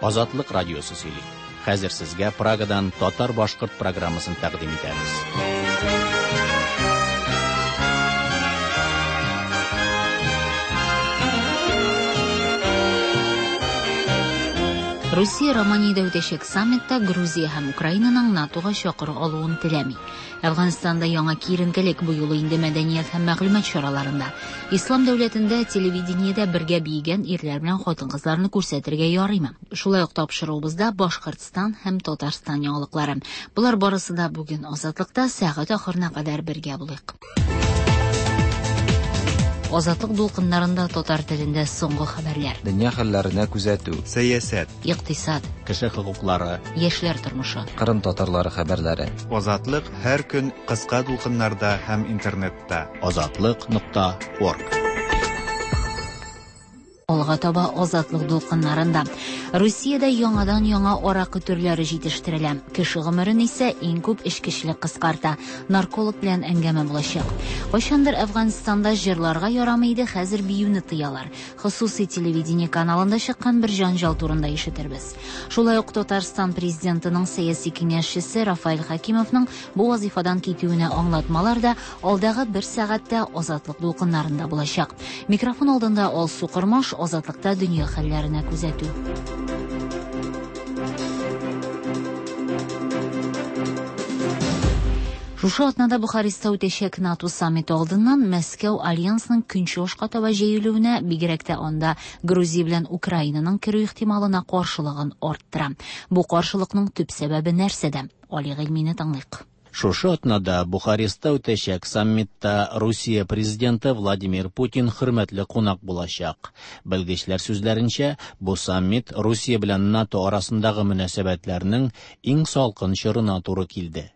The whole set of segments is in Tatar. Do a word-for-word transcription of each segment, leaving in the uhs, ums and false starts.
Азатлык радиосы сөйли. Хәзер сезгә Прагадан татар-башкорт программасын тәкъдим итәбез. Русия Романиядә үтәчәк саммитта Грузия һәм Украинаның НАТОга чакыру алуын теләми. Әфганстанда яңа киеренкелек бу юлы инде мәдәният һәм мәгълүмат чараларында. Ислам дәүләтендә телевидениедә бергә биегән ирләр белән хатын-кызларны күрсәтергә ярыймы? Шулай ук тапшыруыбызда Башкортстан һәм Татарстан яңалыклары. Болар барысы да бүген Азатлыкта сәгать ахырына кадәр бергә булыйк. Азатлык дулкыннарында татар телендә соңгы хәбәрләр. Дөнья хәлләренә күзәтү. Сәясәт. Икътисад. Кеше хокуклары. Яшьләр тормышы. Кырым татарлары хәбәрләре. Азатлык һәр көн кыска дулкыннарда һәм интернетта. Азатлык нокта орг. Алга таба Азатлык дулкыннарында. Русиядә яңадан яңа аракы төрләре җитештерелә. Кеше гомерен исә иң күп эчкечелек кыскарта. Нарколог белән әңгәмә булачак. Кайчандыр Әфганстанда җырларга ярамый иде, хәзер биюне тыялар. Хосусый телевидение каналында чыккан бер җанҗал турында ишетербез. Шулай ук Татарстан президентының сәяси киңәшчесе Рафаэль Хәкимовның бу вазифадан китүенә аңлатмалар да алдагы бер сәгатьтә Азатлык дулкыннарында булачак. Микрофон алдында Алсу Кормаш, Азатлыкта дөнья хәлләренә күзәтү. Шушы атнада Бухарестта үтәчәк НАТО саммиты алдыннан Мәскәү альянсның көнчыгышка таба җәелүенә, бигрәк тә анда Грузия белән Украинаның керү ихтималына каршылыгын арттыра. Бу каршылыкның төп сәбәбе нәрсәдә? Али Гыйльмине тыңлыйк. Шушы атнада Бухарестта үтәчәк саммитта Русия президенты Владимир Путин хөрмәтле кунак булачак. Белгечләр сүзләренчә, бу саммит Русия белән НАТО арасындагы мөнәсәбәтләрнең иң салкын чорына туры килде.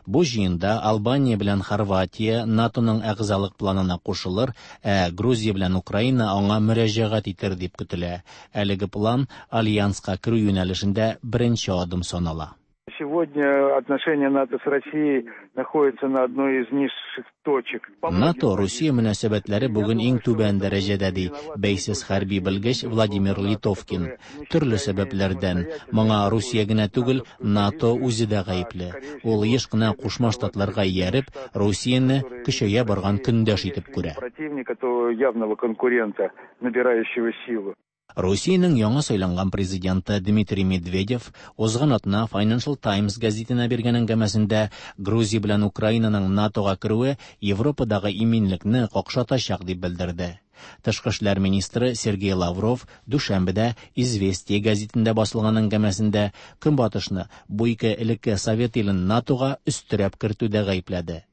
Бу җыенда Албания белән Хорватия НАТОның әгъзалык планына кушылыр, ә Грузия белән Украина аңа мөрәҗәгать итер дип көтелә. Әлеге план альянска керү юнәлешендә беренче адым санала. Сегодня отношения НАТО с Россией находятся на одной из низших точек. НАТО Русия мөнәсәбәтләре бүген иң түбән дәрәҗәдә, ди бәйсез хәрби белгеч Владимир Литовкин. Төрле сәбәпләрдән моңа Русия генә түгел, НАТО үзе дә гаепле. Ул еш кына Кушма Штатларга ияреп, Русияне көчәя барган көндәш итеп күрә. Противника, то явного конкурента, набирающего силу. Русиянең яңа сайланган президенты Дмитрий Медведев узган атна Financial Times гәзитенә биргән әңгәмәсендә Грузия белән Украинаның НАТОга керүе Европадагы иминлекне какшатачак дип белдерде. Тышкы эшләр министры Сергей Лавров дүшәмбедә Известия гәзитендә басылган әңгәмәсендә Көнбатышны бу ике элекке Совет илен НАТОга өстерәп кертүдә гаепләде.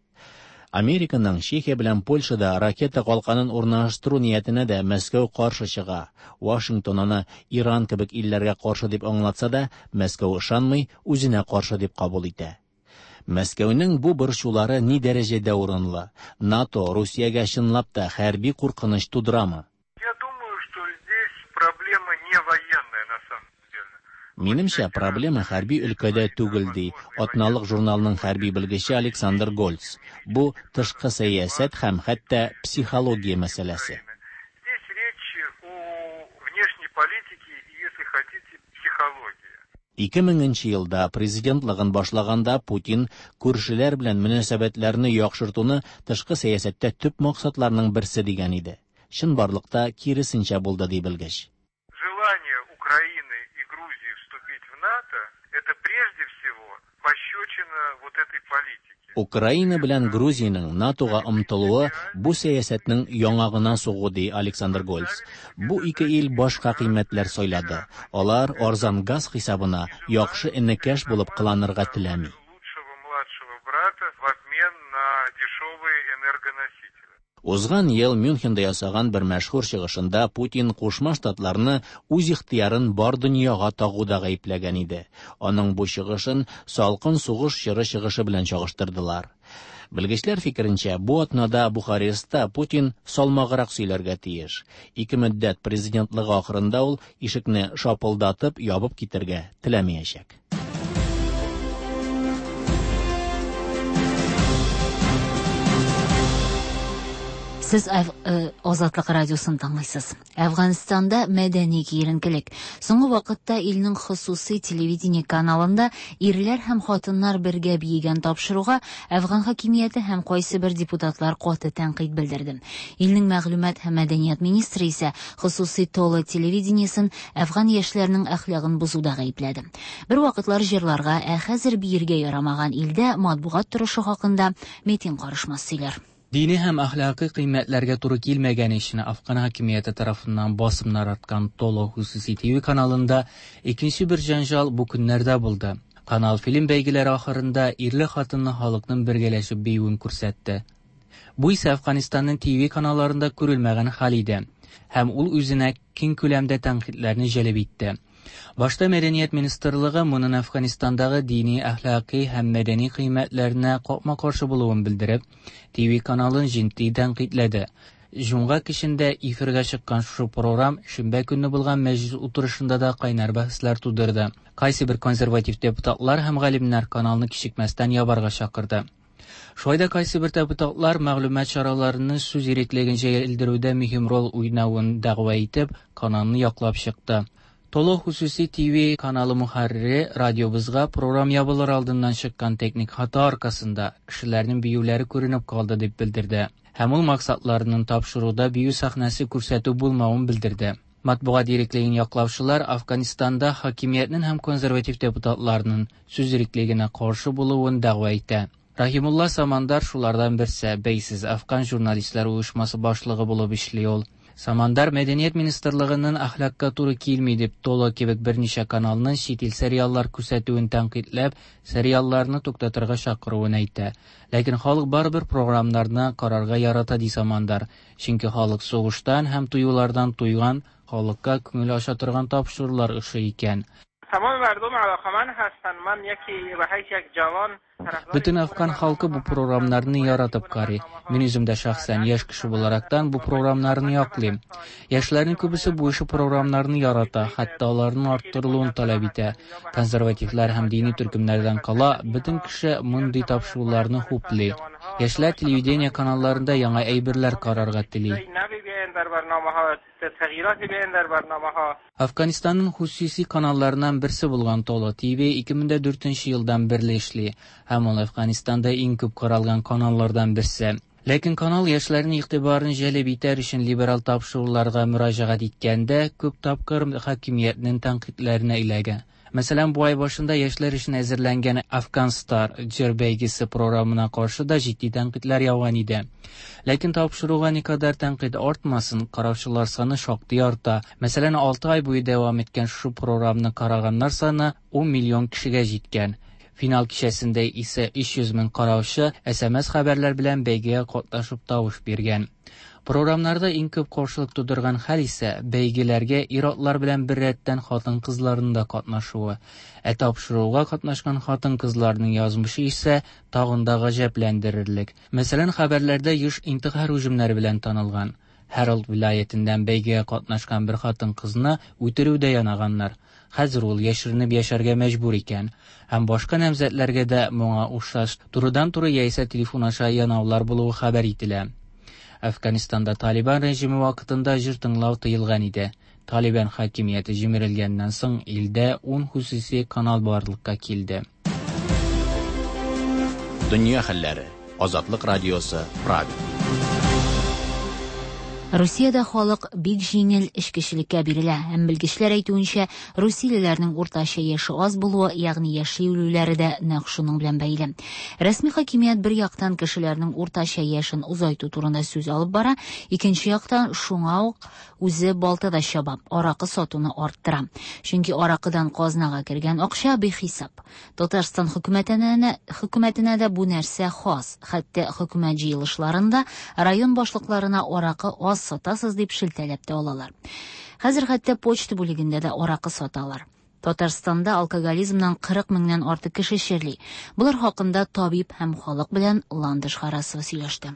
Американың Чехия белән Польшада ракета калканын урнаштыру ниятенә дә Мәскәү каршы чыга. Вашингтон аны Иран кебек илләргә каршы дип аңлатса да, Мәскәү ышанмый, үзенә каршы дип кабул итә. Мәскәүнең бу борчулары ни дәрәҗәдә урынлы? НАТО Русиягә чынлап та хәрби куркыныч тудырамы? Я думаю, что здесь проблема не военная на самом деле. Минемчә, проблема хәрби өлкәдә түгел, ди атналык журналның хәрби белгече Александр Гольц. Бу тышкы сәясәт һәм хәтта психология мәсьәләсе. Здесь речь о внешней политике и, если хотите, психологии. Ике меңенче елда президентлыгын башлаганда Путин күршеләр белән мөнәсәбәтләрне яхшыртуны тышкы сәясәттә төп максатларның берсе дигән иде. Чынбарлыкта киресенчә булды, ди белгеч. Желание Украины и Грузии вступить в НАТО это прежде всего пощечина вот этой политике. Украина белән Грузиянең НАТОга омтылуы бу сәясәтнең яңагына сугу, ди Александр Гольц. Бу ике ил башка кыйммәтләр сайлады. Алар арзан газ хисабына яхшы энекәш булып кыланырга теләми. Лучшего младшего брата в обмен на дешевые энергоносители. Узган ел Мюнхенда ясаган бер мәшһүр чыгышында Путин Кушма Штатларны үз ихтыярын бар дөньяга тагуда гаепләгән иде. Аның бу чыгышын салкын сугыш чоры чыгышы белән чагыштырдылар. Белгечләр фикеренчә, бу атнада Бухарестта Путин салмаграк сөйләргә тиеш. Ике мөддәт президентлыгы ахырында ул ишекне шапылдатып ябып китәргә теләмәячәк. Сез Азатлык радиосын тыңлыйсыз. Әфганстанда мәдәни киеренкелек. Соңгы вакытта илнең хосусый телевидение каналында ирләр һәм хатыннар бергә биегән тапшыруга Әфган хакимияте һәм кайсы бер депутатлар каты тәнкыйть белдерде. Илнең мәгълүмат һәм мәдәният министры исә хосусый Толо телевидениесен әфган яшьләренең әхлагын бозуда гаепләде. Бер вакытлар җырларга, ә хәзер биергә ярамаган илдә матбугат торышы хакында Метин карышмас сөйләр. Dini һәм әхлакый кыйммәтләргә туры килмәгән өчен Афган хакимияте тарафыннан басымнар арткан Толо хосуси Т В каналында икенче бер җанжал бу көннәрдә булды. Канал фильм бәйгеләре ахырында ирле-хатынлы халыкның бергәләшеп биюен күрсәтте. Бу исә Әфганстанның Т В каналларында күрелмәгән хәл иде һәм ул үзенә киң күләмдә тәнкыйтьләрне җәлеп итте. Башта Мәдәният министрлыгы моның Әфганстандагы дини, әхлакый һәм мәдәни кыйммәтләренә капма-каршы булуын белдереп, Т В каналын җитди тәнкыйтьләде. Җомга кичендә эфирга чыккан шушы программ шимбә көнне булган мәҗлис утырышында да кайнар бәхәсләр тудырды. Кайсы бер консерватив депутатлар һәм галимнәр каналны кичекмәстән ябарга чакырды. Шулай да кайсы бер депутатлар мәгълүмат чараларының сүз иреклеген җәелдерүдә мөһим роль уйнавын дәгъва итеп, каналны яклап чыкты. Толо хосуси Т В каналы мөхәррире радиобызга программ ябылыр алдыннан чыккан техник хата аркасында кешеләрнең биюләре күренеп калды дип белдерде. Һәм ул максатларының тапшыруда бию сәхнәсе күрсәтү булмавын белдерде. Матбугат иреклеген яклаучылар Афганистанда хакимиятнең һәм консерватив депутатларның сүз иреклегенә каршы булуын дәгъва итә. Рахимулла Самандар шулардан берсе, бәйсез Афган журналистлар оешмасы башлыгы булып эшли ул. Самандар Мәдәният министрлыгының әхлакка туры килми дип Толо кебек берничә каналның чит ил сериаллар күрсәтүен тәнкыйтьләп, сериалларны туктатырга чакыруын әйтә. Ләкин халык барыбер програмнарны карарга ярата ди Самандар. Чөнки халык сугыштан һәм туюлардан туйган, халыкка күңел ача торган тапшырулар ошый икән. تمام مردم علاقمند هستند. من یکی به حیث یک جوان Бөтен афган халкы бу програмнарны яратып карый. Мин үзем дә шәхсән яшь кеше буларактан бу програмнарны яклыйм. Яшьләрнең күбесе бу ише програмнарны ярата, хәтта аларның арттырылуын таләп итә. Консервативлар һәм дини төркемнәрдән кала, бөтен кеше мондый тапшыруларны хуплый. Яшьләр телевидение каналларында яңа әйберләр карарга тели. Афганистанның хосуси каналларыннан берсе булган Толо Т В ике мең дүртенче елдан бирле эшли һәм ул Афганистанда иң күп каралган каналлардан берсе. Ләкин канал яшьләрнең игътибарын җәлеп итәр өчен либерал тапшыруларга мөрәҗәгать иткәндә күп тапкыр хакимиятнең тәнкыйтьләренә эләгә. Мәсәлән, бу ай башында яшьләр өчен әзерләнгән Афган Стар җыр бәйгесе програмына каршы да җитди тәнкыйтьләр яуган иде. Ләкин тапшыруга никадәр тәнкыйть артмасын, караучылар саны шактый арта. Мәсәлән, алты ай буе дәвам иткән шушы програмны караганнар саны ун миллион кешегә җиткән. Финал кичәсендә исә өч йөз мең караучы С М С хәбәрләр белән бәйгегә катнашып тавыш биргән. Програмнарда иң күп каршылык тудырган хәл исә бәйгеләргә ир-атлар белән беррәттән хатын-кызларның да катнашуы. Ә тапшыруга катнашкан хатын-кызларның язмышы исә тагын да гаҗәпләндерерлек. Мәсәлән, хәбәрләрдә еш интихар һөҗүмнәре белән танылган. Һәралт вилаятеннән бәйгегә катнашкан бер хатын-кызны үтерүдә янаганнар. Хәзер ул яшеренеп яшәргә мәҗбүр икән. Һәм башка намзәтләргә дә моңа охшаш турыдан-туры яисә телефон аша янаулар булуы хәбәр ителә. Әфганстанда Талибан режимы вакытында җыр тыңлау тыелган иде. Талибан хакимияте җимерелгәннән соң илдә ун хосуси канал барлыкка килде. Дөнья хәлләре. Азатлык радиосы, Прага. Русиядә халык бик җиңел эчкечелеккә бирелә һәм белгечләр әйтүенчә, русиялеләрнең уртача яше аз булуы, ягъни яши үлүләре дә нәкъ шуның белән бәйле. Рәсми хакимият бер яктан кешеләрнең уртача яшен озайту турында сүз алып бара, икенче яктан шуңа ук үзе балтада чаба, аракы сатуны арттыра. Чөнки аракыдан казнага кергән акча бихисап. Татарстан хөкүмәтенә, хөкүмәтенә дә бу нәрсә хас. Хәтта хөкүмәт җыелышларында район башлыкларына аракы аз сатасыз дип шелтәләп тә алалар. Хәзер хәтта почта бүлегендә дә аракы саталар. Татарстанда алкоголизмнан кырык меңнән артык кеше чирли. Булар хакында табиб һәм халык белән Ландыш Харасова сөйләште.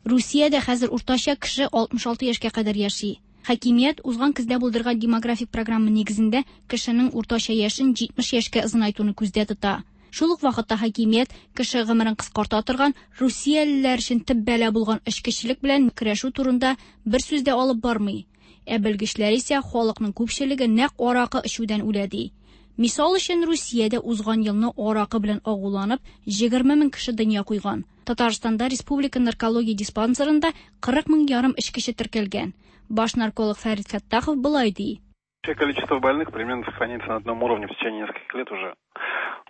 Русиядә хәзер уртача кеше алтмыш алты яшькә кадәр яши. Хакимият узган көздә булдырган демографик программа нигезендә кешенең уртача яшен җитмеш яшькә озынайтуны күздә тота. Шул ук вакытта хакимият кеше гомерен кыскарта торган русиялеләр өчен төп бәла булган эчкечелек белән көрәшү турында бер сүз дә алып бармый. Ә белгечләр исә халыкның күпчелеге нәкъ аракы эчүдән үлә ди. Мисал өчен, Русиядә узган елны аракы белән агуланып егерме мең кеше дөнья куйган. Татарстанда республика наркология диспансерында кырык мең ярым эчкече теркәлгән. Баш нарколог Фәрит Фәттахов болай ди. Количество больных примерно сохраняется на одном уровне в течение нескольких лет уже.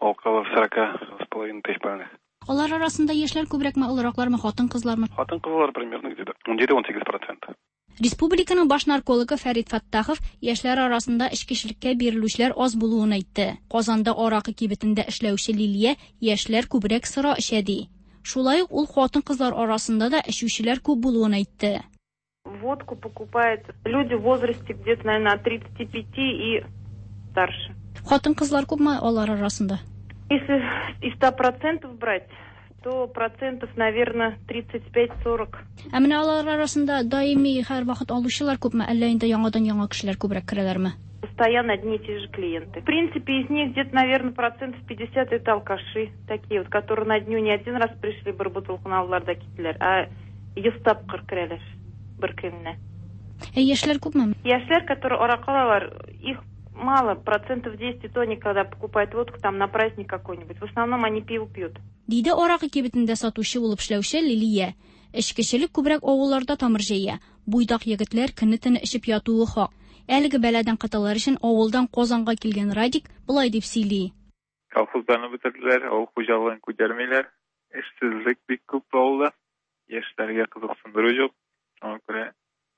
Около сорока с половиной тысяч больных. Алар арасында яшьләр күбрәкме, олыраклармы, хатын-кызлармы? Хатын-кызлар примерно где-то ун җиде-ун сигез процент. Республиканың баш наркологы Фәрит Фәттахов яшьләр арасында эчкечелеккә бирелүчеләр аз булуын әйтте. Казанда аракы кибетендә эшләүче Лилия яшьләр күбрәк сыра эчә ди. Шулай ук ул хатын-кызлар арасында да эчүчеләр күп булуын әйтте. Водку покупают люди в возрасте где-то, наверное, от тридцати пяти и старше. Хатын-кызлар күпме алар арасында? Если из ста процентов брать, то процентов, наверное, тридцать пять-сорок. Ә менә алар арасында даими һәр вакыт алучылар күпме, әллә инде яңадан-яңа кешеләр күбрәк керәләрме? Постоянно одни и те же клиенты. В принципе, из них где-то, наверное, процентов пятьдесят это алкаши, такие вот, которые на дню не один раз пришли, бер бутылканы алдылар да киттеләр, а йөз тапкыр керәләр бер көнне. Ә яшьләр күпме? Яшьләр, которые аракы алалар, их мало, процентов десять, и то они, когда покупают водку там на праздник какой-нибудь. В основном они пиво пьют. Диде аракы кибетендә сатучы булып эшләүче Лилия. Эчкечелек күбрәк авылларда тамыр җәя. Буйдак егетләр көне-төне эчеп ятуы хак. Әлеге бәладән котылыр өчен авылдан Казанга килгән Радик болай дип сөйли. Колхозларны бетерделәр, авыл хуҗалыгын күтәрмиләр. Эшсезлек бик күп авылда. Яшьләргә кызыксындыру юк. Шуңа күрә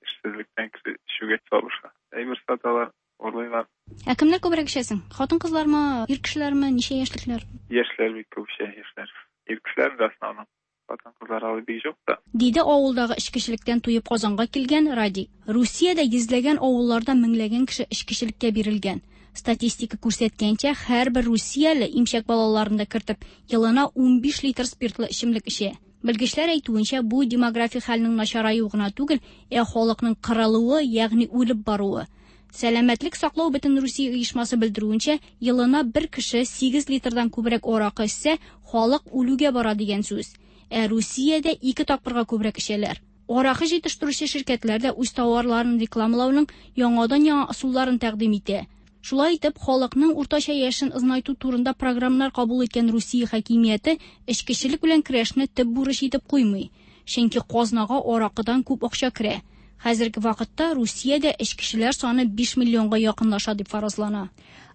эшсезлектән кеше эчүгә сабыша. Әйбер саталар, урлыйлар. Ә кемнәр күбрәк эчәсең? Хатын-кызлармы, ир кешеләрме, ничә яшьлекләр? Яшьләр бик күп эчә, яшьләр. Ир кешеләр дә основном. Хатын-кызлар алай бик юк та. Диде авылдагы эчкечелектән туеп Казанга килгән Радик. Русиядә йөзләгән авылларда меңләгән кеше эчкечелеккә бирелгән. Статистика күрсәткәнчә, һәрбер русияле имчәк балаларын да кертеп, елына унбиш литр спиртлы эчемлек эчә. Белгечләр әйтүенчә, бу демографик хәлнең начараюы гына түгел, ә халыкның кырылуы, ягъни үлеп баруы. Сәламәтлек саклау бөтен Русия оешмасы белдерүенчә, елына бер кеше сигез литрдан күбрәк аракы эчсә, халык үлүгә бара дигән сүз. Ә Русиядә ике тапкырга күбрәк эчәләр. Аракы җитештерүче ширкәтләр дә үз товарларын рекламалауның яңадан-яңа ысулларын тәкъдим итә. Шулай итеп, халыкның уртача яшен озынайту турында программалар кабул иткән Русия хакимияте эчкечелек белән көрәшне төп бурыч итеп куймый. Чөнки казнага аракыдан күп акча керә. Хәзерге вакытта Русиядә эчкечеләр саны биш миллионга якынлаша дип фаразлана.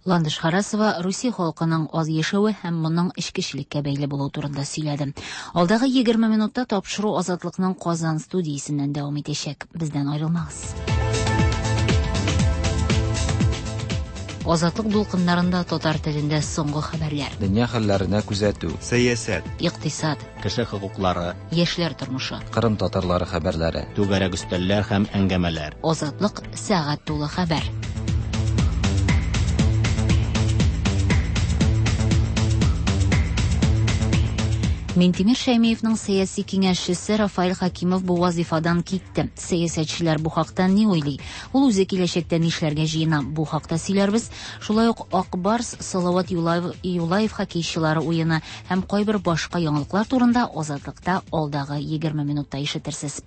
Ландыш Харасова Русия халкының аз яшәве һәм моның эчкечелеккә бәйле булуы турында сөйләде. Алдагы егерме минутта тапшыру Азатлыкның Казан студиясеннән дәвам итәчәк. Бездән аерылмагыз. Азатлык дулкыннарында татар телендә соңгы хәбәрләр. Дөнья хәлләренә күзәтү. Сәясәт. Икътисад. Кеше хокуклары. Яшьләр тормышы. Кырым татарлары хәбәрләре. Түгәрәк өстәлләр һәм әңгәмәләр. Азатлык сәгать тулы хәбәр. Минтимер Шәймиевның сәяси киңәшчесе Рафаэль Хакимов бу вазифадан китте. Сәясәтчеләр бу хакта ни уйлый? Ул үзе киләчәктә нишләргә җыена? Бу хакта сөйләрбез. Шулай ук Ак Барс, Салават Юлаев, Юлаев хоккейчылары уены һәм кайбер башка яңалыклар турында Азатлыкта алдагы егерме минутта ишетерсез.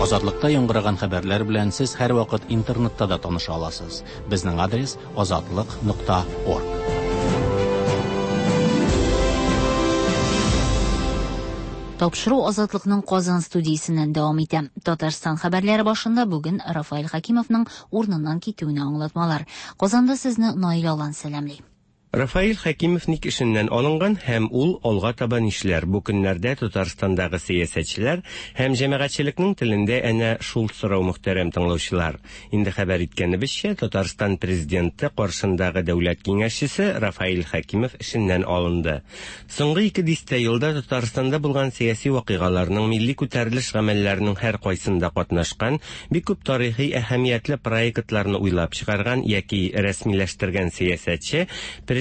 Азатлыкта яңгыраган хәбәрләр белән сез һәр вакыт интернетта да таныша аласыз. Безнең адрес азатлык нокта орг. Тапшыру Азатлыкның Казан студиясеннән дәвам итә. Татарстан хәбәрләре башында бүген Рафаэль Хакимовның урыныннан китүенә аңлатмалар. Казанда сезне Наил Алан сәламли. Рафаэль Хакимов ник эшеннән алынган һәм ул алга таба нишләр? Бу көннәрдә Татарстандагы сәясәтчеләр һәм җәмәгатьчелекнең телендә әнә шул сорау, мөхтәрәм тыңлаучылар. Инде хәбәр иткәнебезчә, Татарстан президенты каршындагы дәүләт киңәшчесе Рафаэль Хакимов эшеннән алынды. Соңгы ике дистә елда Татарстанда булган сәяси вакыйгаларның, милли күтәрелеш гамәлләренең һәр кайсында катнашкан, бик күп тарихи әһәмиятле проектларны уйлап чыгарган яки рәсмиләштергән сәясәтче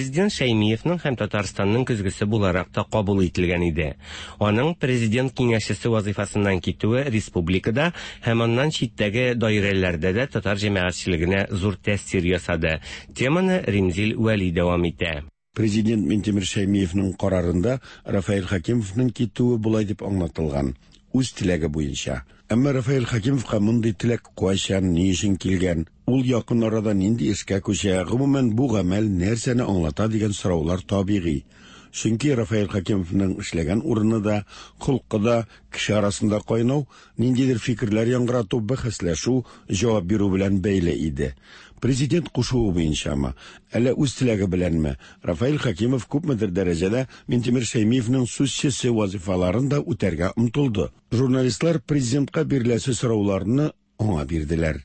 Президент Шәймиевның һәм Татарстанның көзгесе буларак та кабул ителгән иде. Аның президент киңәшчесе вазифасыннан китүе республикада һәм аннан читтәге даирәләрдә дә татар җәмәгатьчелегенә зур тәэсир ясады. Теманы Римзил Вәли дәвам итә. Президент Минтимер Шәймиевның карарында Рафаэль Хәкимовның китүе болай дип аңлатылган: үз теләге буенча. Әмма Рафаэль Хәкимовка мондый теләк кайчан, ни өчен килгән, ул якын арада нинди эшкә күчә, гомумән бу гамәл нәрсәне аңлата дигән сораулар табигый. Чөнки Рафаэль Хәкимовның эшләгән урыны да, холкы да кеше арасында кайнау, ниндидер фикерләр яңгырату, бәхәсләшү, җавап бирү белән бәйле иде. Президент кушуы буенчамы, әллә үз теләге беләнме, Рафаэль Хәкимов күпмедер дәрәҗәдә Минтимер Шәймиевның сүзчесе вазифаларын да үтәргә омтылды. Журналистлар президентка биреләсе сорауларны аңа бирделәр.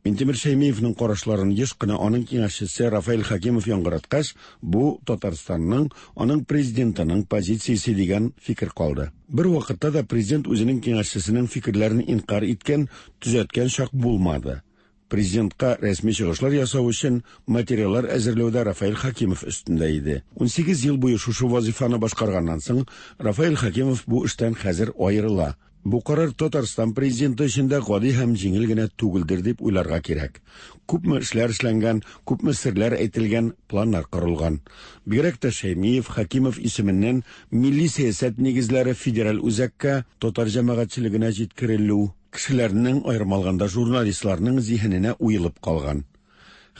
Минтимер Шәймиевның карашларын еш кына аның киңәшчесе Рафаэль Хәкимов яңгыраткач, бу Татарстанның, аның президентының позициясе дигән фикер калды. Бер вакытта да президент үзенең киңәшчесенең фикерләрен инкар иткән, төзәткән чак булмады. Президентка рәсми чыгышлар ясау өчен материаллар әзерләүдә Рафаэль Хәкимов өстендә иде. Унсигез ел буе шушы вазифаны башкарганнан соң, Рафаэль Хәкимов бу эштән хәзер аерыла. Бу карар Татарстан президенты өчен дә гади һәм җиңел генә түгелдер дип уйларга кирәк. Күпме эшләр эшләнгән, күпме серләр әйтелгән, планнар корылган. Бигрәк тә Шәймиев, Хәкимов исеменнән милли сәясәт нигезләре федераль үзәккә, татар җәмәгатьчелегенә җиткерелү кешеләрнең, аерым алганда журналистларның зиһененә уелып калган.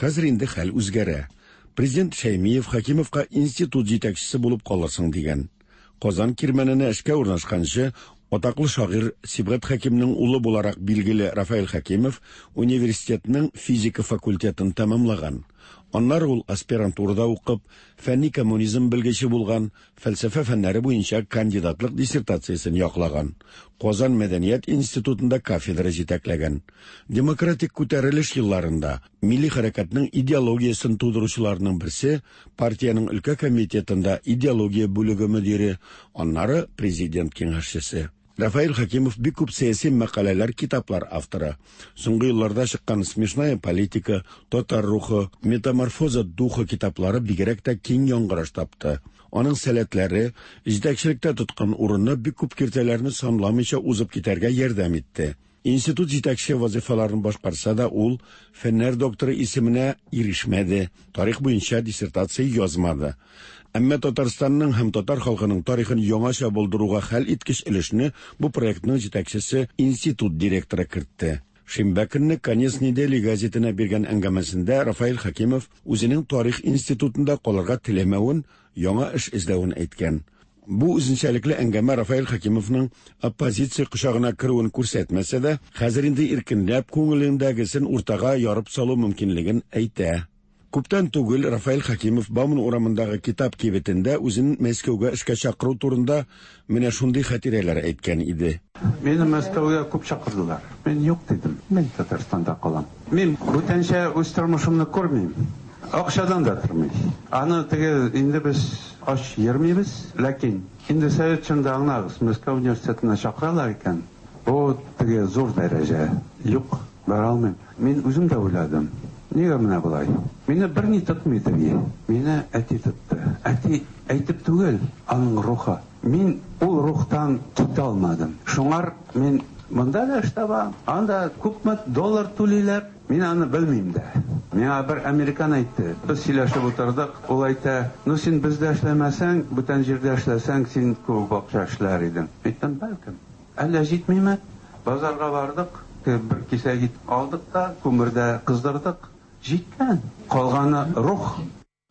Хәзер инде хәл үзгәрә. Президент Шәймиев Хәкимовка институт җитәкчесе булып калырсың дигән. Казан кирмәненә эшкә урнашканчы, атаклы шагыйрь Сибгат Хәкимнең улы буларак билгеле Рафаэль Хәкимов университетның физика факультетын тәмамлаган. Аннары ул аспирантурада укып, фәнни коммунизм белгече булган, фәлсәфә фәннәре буенча кандидатлык диссертациясен яклаган. Казан мәдәният институтында кафедра җитәкләгән. Демократик күтәрелеш елларында милли хәрәкәтнең идеологиясен тудыручыларның берсе, партиянең өлкә комитетында идеология бүлеге мөдире, аннары президент киңәшчесе. Рафаэль Хәкимов бик күп сәяси мәкаләләр, китаплар авторы. Соңгы елларда чыккан «Смешная политика», «Татар рухы», «Метаморфоза духа» китаплары бигрәк тә киң яңгыраш тапты. Аның сәләтләре, җитәкчелектә тоткан урыны бик күп киртәләрне санламыйча узып китәргә ярдәм итте. Институт җитәкче вазифаларын башкарса да, ул фәннәр докторы исеменә ирешмәде, тарих буенча диссертация язмады. Әмма Татарстанның һәм татар халкының тарихын яңача булдыруга хәл иткеч өлешне бу проектның җитәкчесе институт директоры кертте. Шимбә көнне «Конец недели» газетына биргән әңгәмәсендә Рафаэль Хәкимов үзенең тарих институтында калырга теләмәвен, яңа эш эзләвен әйткән. Бу үзенчәлекле әңгәмә Рафаэль Хәкимовның оппозиция кочагына керүен күрсәтмәсә дә, хәзер инде иркенләп күңелендәгесен уртага ярып салу мөмкинлеген әйтә. Күптән түгел Рафаэль Хәкимов Бауман урамындагы китап кибетендә үзен Мәскәүгә эшкә чакыру турында менә шундый хатирәләр әйткән иде. Мине Мәскәүгә күп чакырдылар. Мин юк дидем. Мин Татарстанда калам. Мин бүтәнчә үз тормышымны күрмим. Акчадан да тормый. Аны теге инде без ач йөрмибез, ләкин инде совет чорында аңлагыз, Мәскәү университетына чакыралар икән, бу теге зур дәрәҗә. Юк, бара алмыйм. Мин үзем дә уйладым. Нигә менә болай? Мине берни тотмый теге. Мине әти тотты. Әти әйтеп түгел, аның рухы. Мин ул рухтан китә алмадым. Шуңар мин монда да эш табам, анда күпме доллар түлиләр, мин аны белмим дә. Миңа бер американ әйтте. Без сөйләшеп утырдык. Ул әйтә, "Ну син бездә эшләмәсәң, бүтән җирдә эшләсәң, син күп акча эшләр идең." Әйттем, бәлкем. Әллә җитмиме? Базарга бардык, бер кисәк ит алдык та, күмердә кыздырдык. Җиткән. Калганы рух.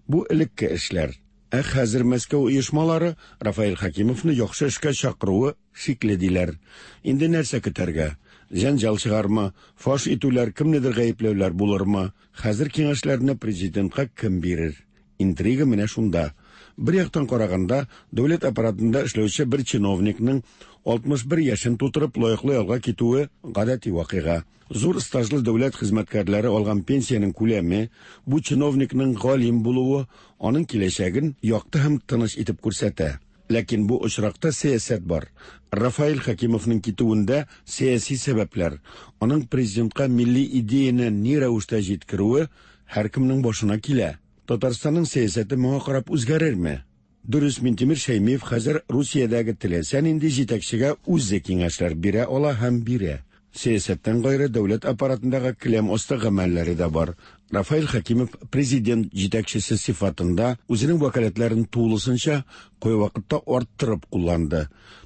Бу элекке эшләр. Ә хәзер Мәскәү оешмалары Рафаэль Хәкимовны яхшы эшкә чакыруы шикле диләр. Инде нәрсә көтәргә? Җәнҗал чыгармы? Фаш итүләр, кемнедер гаепләүләр булырмы? Хәзер киңәшләрне президентка кем бирер? Интрига менә шунда. Бер яктан караганда, дәүләт аппаратында эшләүче бер чиновникның алтмыш бер яшен тутырып лаеклы ялга китүе гадәти вакыйга. Зур стажлы дәүләт хезмәткәрләре алган пенсиянең күләме, бу чиновникның галим булуы аның киләчәген якты һәм тыныч итеп күрсәтә. Ләкин бу очракта сәясәт бар. Рафаэль Хәкимовның китүендә сәяси сәбәпләр, аның президентка милли идеяне ни рәвештә җиткерүе һәркемнең башына килә. Татарстанның сәясәте моңа карап үзгәрерме? Дөрес, Минтимер Шәймиев хәзер Русиядәге теләсә нинди җитәкчегә үзе киңәшләр бирә ала һәм бирә. Сәясәттән гайре дәүләт аппаратындагы келәм асты гамәлләре дә бар. Рафаэль Хәкимов президент җитәкчесе сыйфатында үзенең вәкаләтләрен тулысынча кайвакытта арттырып кулланды.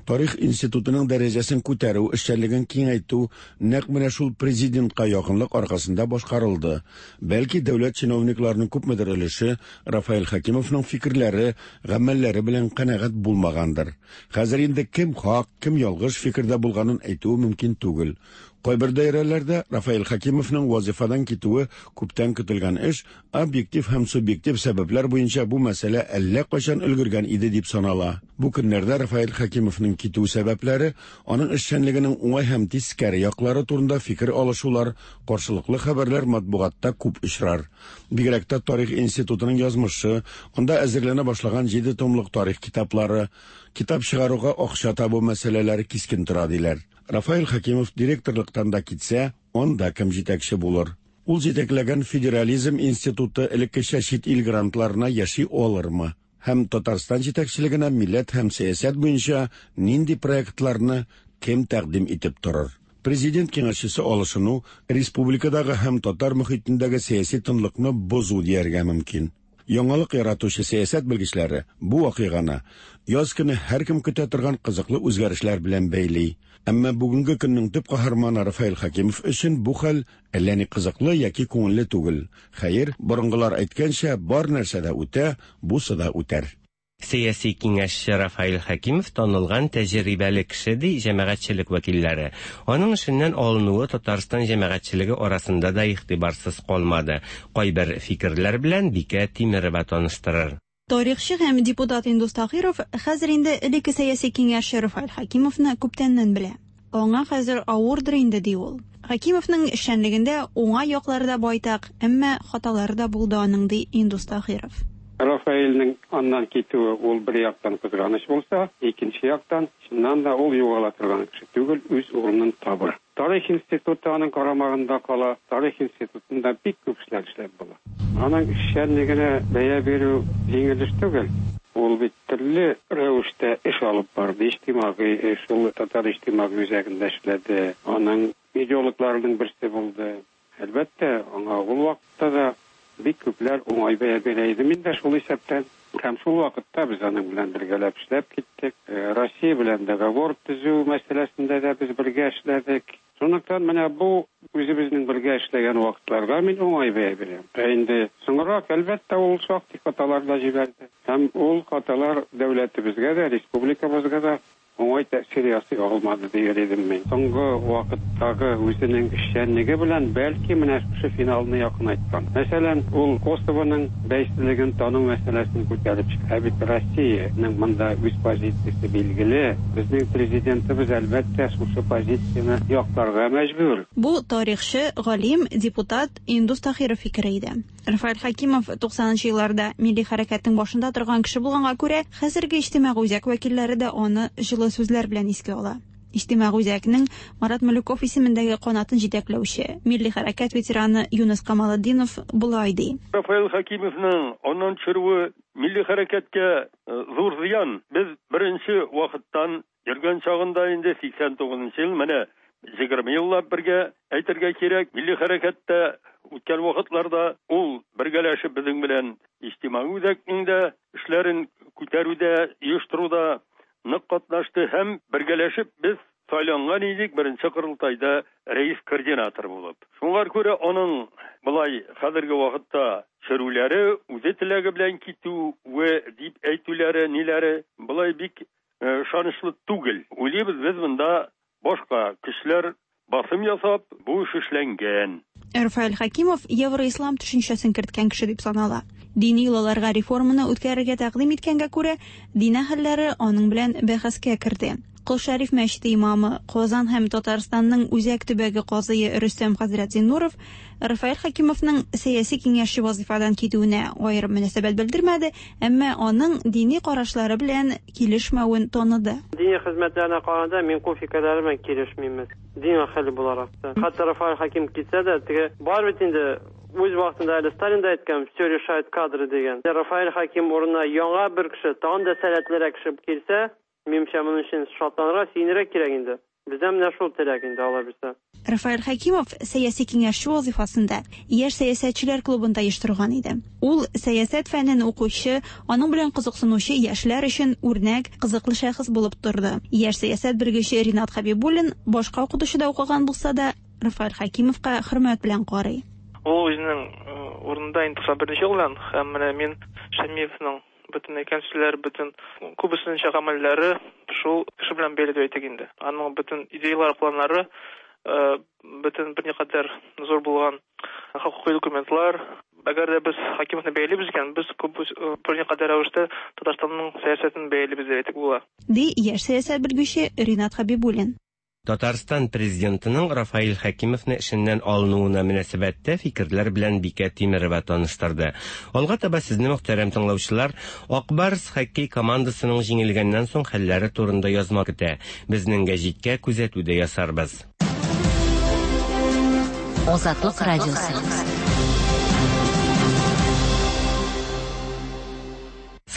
Тарих институтының дәрәҗәсен күтәрү, эшчәнлеген киңәйтү нәкъ менә шул президентка якынлык аркасында башкарылды. Бәлки дәүләт чиновникларының күпмедер өлеше Рафаэль Хәкимовның фикерләре, гамәлләре белән канәгать булмагандыр. Хәзер инде кем хак, кем ялгыш фикердә булганын әйтүе мөмкин түгел. Кайбер даирәләрдә Рафаэль Хәкимовның вазифадан китүе күптән көтелгән эш, объектив һәм субъектив сәбәпләр буенча бу мәсьәлә әллә кайчан өлгергән иде дип санала. Бу көннәрдә Рафаэль Хәкимовның китү сәбәпләре, аның эшчәнлегенең уңай һәм тискәре яклары турында фикер алышулар, каршылыклы хәбәрләр матбугатта күп очрар. Бигрәк тә Тарих институтының язмышы, анда әзерләнә башлаган җиде томлык тарих китаплары, китап чыгаруга акча табу мәсьәләләре кискен тора диләр. Рафаэль Хәкимов директорлыктан да китсә, анда кем җитәкче булыр? Ул җитәкләгән Федерализм институты элеккечә чит ил грантларына яши алырмы? Һәм Татарстан җитәкчелегенә милләт һәм сәясәт буенча нинди проектларны кем тәкъдим итеп торыр? Президент киңәшчесе алышыну республикадагы һәм татар мөхитендәге сәяси тынлыкны бозу дияргә мөмкин. Яңалык яратучы сәясәт белгечләре бу вакыйганы яз көне һәркем көтә торган кызыклы үзгәрешләр белән бәйли. Әмма бүгенге көннең төп каһарманы Рафаэль Хәкимов өчен бу хәл әллә ни кызыклы яки күңелле түгел. Хәер, борынгылар әйткәнчә, бар нәрсә дә үтә, бусы да үтәр. Сәяси киңәшче Рафаэль Хәкимов танылган тәҗрибәле кеше ди җәмәгатьчелек вәкилләре. Аның эшеннән алынуы Татарстан җәмәгатьчелеге арасында да игътибарсыз калмады. Кайбер фикерләр белән Бикә Тимерова таныштырыр. Тарихчы һәм депутат Индус Таһиров хәзер инде элекке сәяси киңәшче Рафаэль Хәкимовны күптәннән белә. Аңа хәзер авырдыр инде ди ул. Хәкимовның эшчәнлегендә уңай яклары да байтак, әмма хаталары да булды аның ди Индус Таһиров. Рафаэльнең аннан китүе ул бер яктан кызганыч булса, икенче яктан чыннан да ул югала торган кеше түгел, үз урынын табыр. Тарих институты аның карамагында кала, Тарих институтында бик күп эшләр эшләп була. Аның эшчәнлегенә бәя бирү җиңел эш түгел. Ул бит төрле рәвештә эш алып барды, иҗтимагый эш, ул татар иҗтимагый үзәгендә эшләде. Аның идеологларының берсе булды. Әлбәттә, аңа ул вакытта да бик күпләр уңай бәя бирә иде. Мин дә шул исәптән һәм шул вакытта без аның белән бергәләп эшләп киттек. Россия белән договор төзү мәсьәләсендә дә без бергә эшләдек. Шунлыктан менә бу үзебезнең бергә эшләгән вакытларга мин уңай бәя бирәм. Ә инде соңрак, әлбәттә, ул шактый хаталар да җибәрде. Һәм ул хаталар дәүләтебезгә дә, республикабызга да уңай тәэсир ясый алмады дияр идем мин. Соңгы вакыттагы үзенең эшчәнлеге белән бәлки менә шушы финалны якынайткан. Мәсәлән, ул Косовоның бәйсезлеген тану мәсьәләсен күтәреп чыкты. Ә бит Россиянең монда үз позициясе билгеле. Безнең президентыбыз әлбәттә шушы позицияне якларга мәҗбүр. Бу тарихчы, галим, депутат Индус Таһиров фикере иде. Рафаэль Хәкимов туксанынчы елларда милли хәрәкәтнең башында торган кеше булганга күрә, хәзерге иҗтимагый үзәк вәкилләре дә аны җылы сүзләр белән искә ала. Иҗтимагый үзәкнең Марат Малюков исемендәге канатын җитәкләүче милли хәрәкәт ветераны Юныс Камалетдинов болай ди. Рафаэль Хәкимовның аннан төшерүе милли хәрәкәткә зур зыян. Без беренче вакыттан йөргән чагында инде сиксән тугызынчы ел менә егерме еллап бергә әйтергә кирәк, милли хәрәкәттә үткән вакытларда ул бергәләшеп безнең белән иҗтимагый үзәкнең дә эшләрен күтәрүдә, оештыруда нык катнашты һәм бергәләшеп без сайланган идек беренче корылтайда рәис координатор булып. Шуңа күрә аның болай хәзерге вакытта чөрүләре, үзе теләге белән китүе дип әйтүләре, ниләре болай бик ышанычлы түгел. Уйлыйбыз, без монда башка көчләр басым ясап, бу эш эшләнгән. Рафаэль Хәкимов евроислам төшенчәсен керткән кеше дип санала. Дини йолаларга реформаны үткәрергә тәкъдим иткәнгә күрә, дин әһелләре аның белән бәхәскә керде. Кол Шәриф мәчете имамы, Казан һәм Татарстанның үзәк төбәге казые Рөстәм хәзрәт Зиннуров Рафаэль Хәкимовның сәяси киңәшче вазифадан китүенә аерым мөнәсәбәт белдермәде, әмма аның дини карашлары белән килешмәвен таныды. Дини хезмәтләренә караганда мин күп фикерләре белән килешмим. Дин әһеле буларак та. Хәтта Рафаэль Хәкимов китсә дә, теге бар бит инде Үз вакытында әле Сталин да әйткән, все решают кадры дигән. Рафаэль Хаким урынына яңа бер кеше, тагын да сәләтлерәк кеше килсә, минемчә, моның өчен шатланырга, сөенергә кирәк инде. Бездә менә шул теләк инде, Алла бирсә. Рафаэль Хәкимов сәяси киңәшче вазифасында яшь сәясәтчеләр клубын да оештырган иде. Ул сәясәт фәнен укучы, аның белән кызыксынучы яшьләр өчен үрнәк, кызыклы шәхес булып торды. Яшь сәясәт белгече Ринат Хәбибуллин башка укытучыда укыган булса да, Рафаэль Хәкимовка хөрмәт белән карый. Ул үзенең урынында инде туксан беренче елдан, һәм менә мин Шәймиевның бөтен әйткән сүзләре, бөтен күбесенчә гамәлләре шул кеше белән бәйле дип әйтик инде. Аның бөтен идеялары, планнары, бөтен берникадәр зур булган хокукый документлар. Әгәр дә без Хакимовны бәялибез икән, без күп берникадәр рәвештә Татарстанның сәясәтен бәялибез дип әйтик була. Ди яшь сәясәт белгече Ринат Хәбибуллин. Татарстан президентының Рафаэль Хәкимовны эшеннән алынуына мөнәсәбәттә фикерләр белән Бикә Тимерова таныштырды. Алга таба сезне, мөхтәрәм тыңлаучылар, Ак Барс хоккей командасының җиңелгәннән соң хәлләре турында язма көтә. Безнең гәҗиткә күзәтү дә ясарбыз. Азатлык радиосы.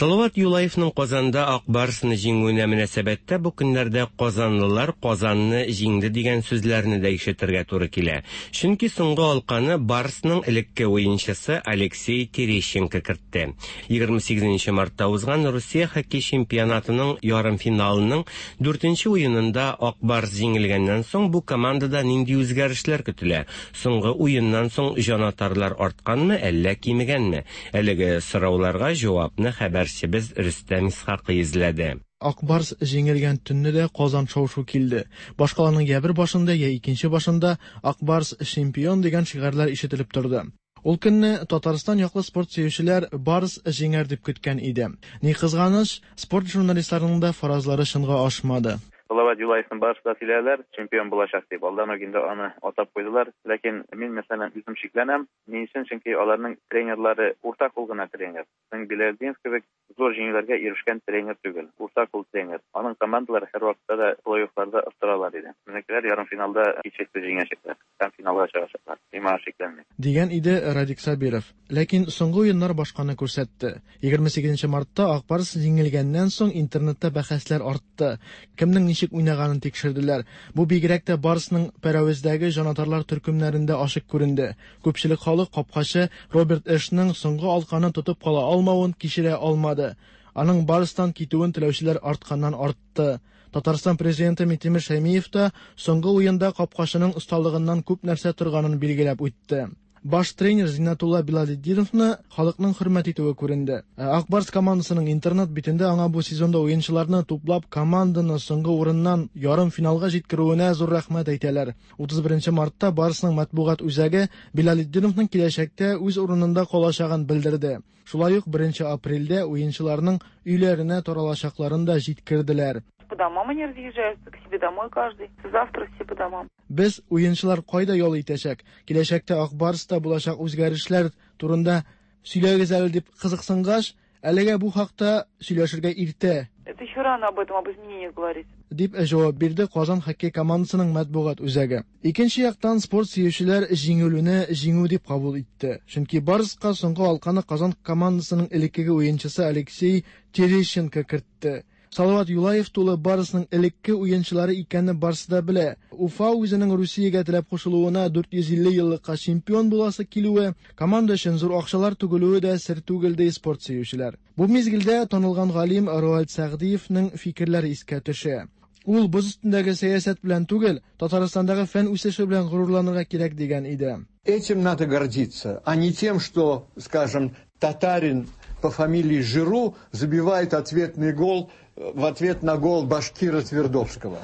Салават Юлаевның Казанда Ак Барсны җиңүенә мөнәсәбәттә бу көннәрдә казанлылар Казанны җиңде дигән сүзләрне дә ишетергә туры килә. Чөнки соңгы алканы Барсның элекке уенчысы Алексей Терещенко кертте. Егерме сигезенче мартта узган Русия хоккей чемпионатының ярымфиналының дүртенче уенында Ак Барс җиңелгәннән соң бу командада нинди үзгәрешләр көтелә? Соңгы уеннан соң җанатарлар артканмы, әллә кимегәнме? Әлеге сорауларга җавапны хәбәр Без Рөстәм Исхакый эзләде. Ак Барс җиңелгән төнне дә Казан шау-шу килде. Башкаланың я бер башында, я икенче башында Ак Барс чемпион дигән шигарьләр ишетелеп торды. Ул көнне Татарстан яклы спорт сөючеләр Барс җиңәр дип көткән иде. Ни кызганыч, спорт журналистларының да фаразлары чынга ашмады. Салават Юлаевның барысы да сөйләделәр, чемпион булачак дип. Алдан ук инде аны атап куйдылар. Ләкин мин, мәсәлән, үзем шикләнәм. Ни өчен? Чөнки аларның тренерлары уртак ул гына тренер. Безнең Биләлдинов кебек зур җиңүләргә ирешкән тренер түгел. Уртак ул тренер. Аның командалары һәрвакытта да плей-оффларда оттыралар иде. Безнекеләр ярымфиналда һичшиксез җиңәчәкләр һәм финалга чыгачаклар. Мин моңа шикләнмим. Дигән иде Радик Сабиров. Ләкин соңгы уеннар башканы күрсәтте. Егерме сигезенче мартта Ак Барс җиңелгәннән соң интернетта бәхәсләр артты. Кемнең ничек уйнаганын тикшерделәр. Бу бигрәк тә Барсның Пәрәвездәге җанатарлар төркемнәрендә ачык күренде. Күпчелек халык капкачы Роберт Эшның соңгы алканы тотып кала алмавын кичерә алмады. Аның Барстан китүен теләүчеләр артканнан артты. Татарстан президенты Минтимер Шәймиев та соңгы уенда капкачының осталыгыннан күп нәрсә торганын билгеләп үтте. Баш тренер Зиннәтулла Билалетдиновны халыкның хөрмәт итүе күренде. Ак Барс командасының интернет битендә аңа бу сезонда уенчыларны туплап команданы соңгы урыннан ярым финалга җиткерүенә зур рәхмәт әйтәләр. Утыз беренче мартта Барсның матбугат үзәге Билалетдиновның киләчәктә үз урынында калачагын белдерде. Шулай ук беренче апрельдә уенчыларның өйләренә таралачакларын да җиткерделәр. По домам они разъезжаются, к себе домой каждый. Завтра все по домам. Без уенчылар кайда ял итәчәк? Киләчәктә Ак Барста булачак үзгәрешләр турында сөйләгез әле дип кызыксынгач, әлегә бу хакта сөйләшергә иртә. Это еще рано об этом, об изменениях говорить. Дип җавап бирде Казан хоккей командасының матбугат үзәге. Икенче яктан спорт сөючеләр җиңелүне җиңү дип кабул итте. Чөнки Барска соңгы алканы Казан командасының элеккеге уенчысы Алексей Терещенко кертте. Салават Юлаев тулы Барсның элекке уенчылары икәнне барсы да белә. Уфа үзенең Русиягә теләп кушылуына дүрт йөз илле еллыкка чемпион буласы килүе, команда өчен зур акчалар түгелүе дә сер түгел ди спорт сөючеләр. Бу мизгелдә танылган галим Роальд Сәгъдиевнең фикерләре искә төшә. Ул боз өстендәге сәясәт белән түгел, Татарстандагы фән үсеше белән горурланырга кирәк дигән иде. Этим надо гордиться, а не тем, что, скажем, татарин по фамилии Жиру забивает ответный гол в ответ на гол башкира Твердовского.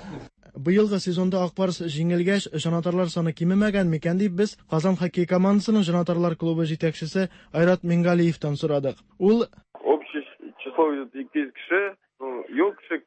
Быелгы сезонда Ак Барс җиңелгәч, җанатарлар саны кимемәгән микән дип без Казан хоккей командасының җанатарлар клубы җитәкчесе Айрат Мингалиевтан сорадык. Ул общее число ике йөз кеше, юк кеше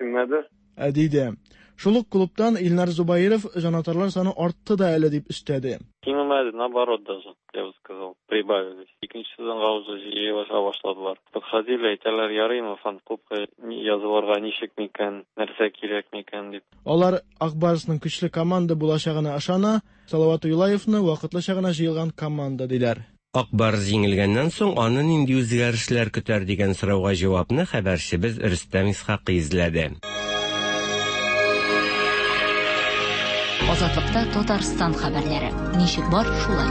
киммәде. Диде. Шул ук клубтан Илнар Зубаиров җанатарлар саны артты да әле дип өстәде. Кимемәде, наоборот даже, я бы сказал, прибавились. Икенче сезонга уже җыелыша башладылар. Подходили, әйтәләр, ярыймы фан-клубка язылырга, ничек микән, нәрсә кирәк микән дип. Алар Ак Барсның көчле команда булачагына ышана, Салават Юлаевны вакытлыча гына җыелган команда диләр. Ак Барс җиңелгәннән соң аны нинди үзгәрешләр көтәр дигән сорауга җавапны хәбәрчебез Рөстәм Исхакый эзләде. Азатлыкта Татарстан хәбәрләре. Ничек бар, шулай.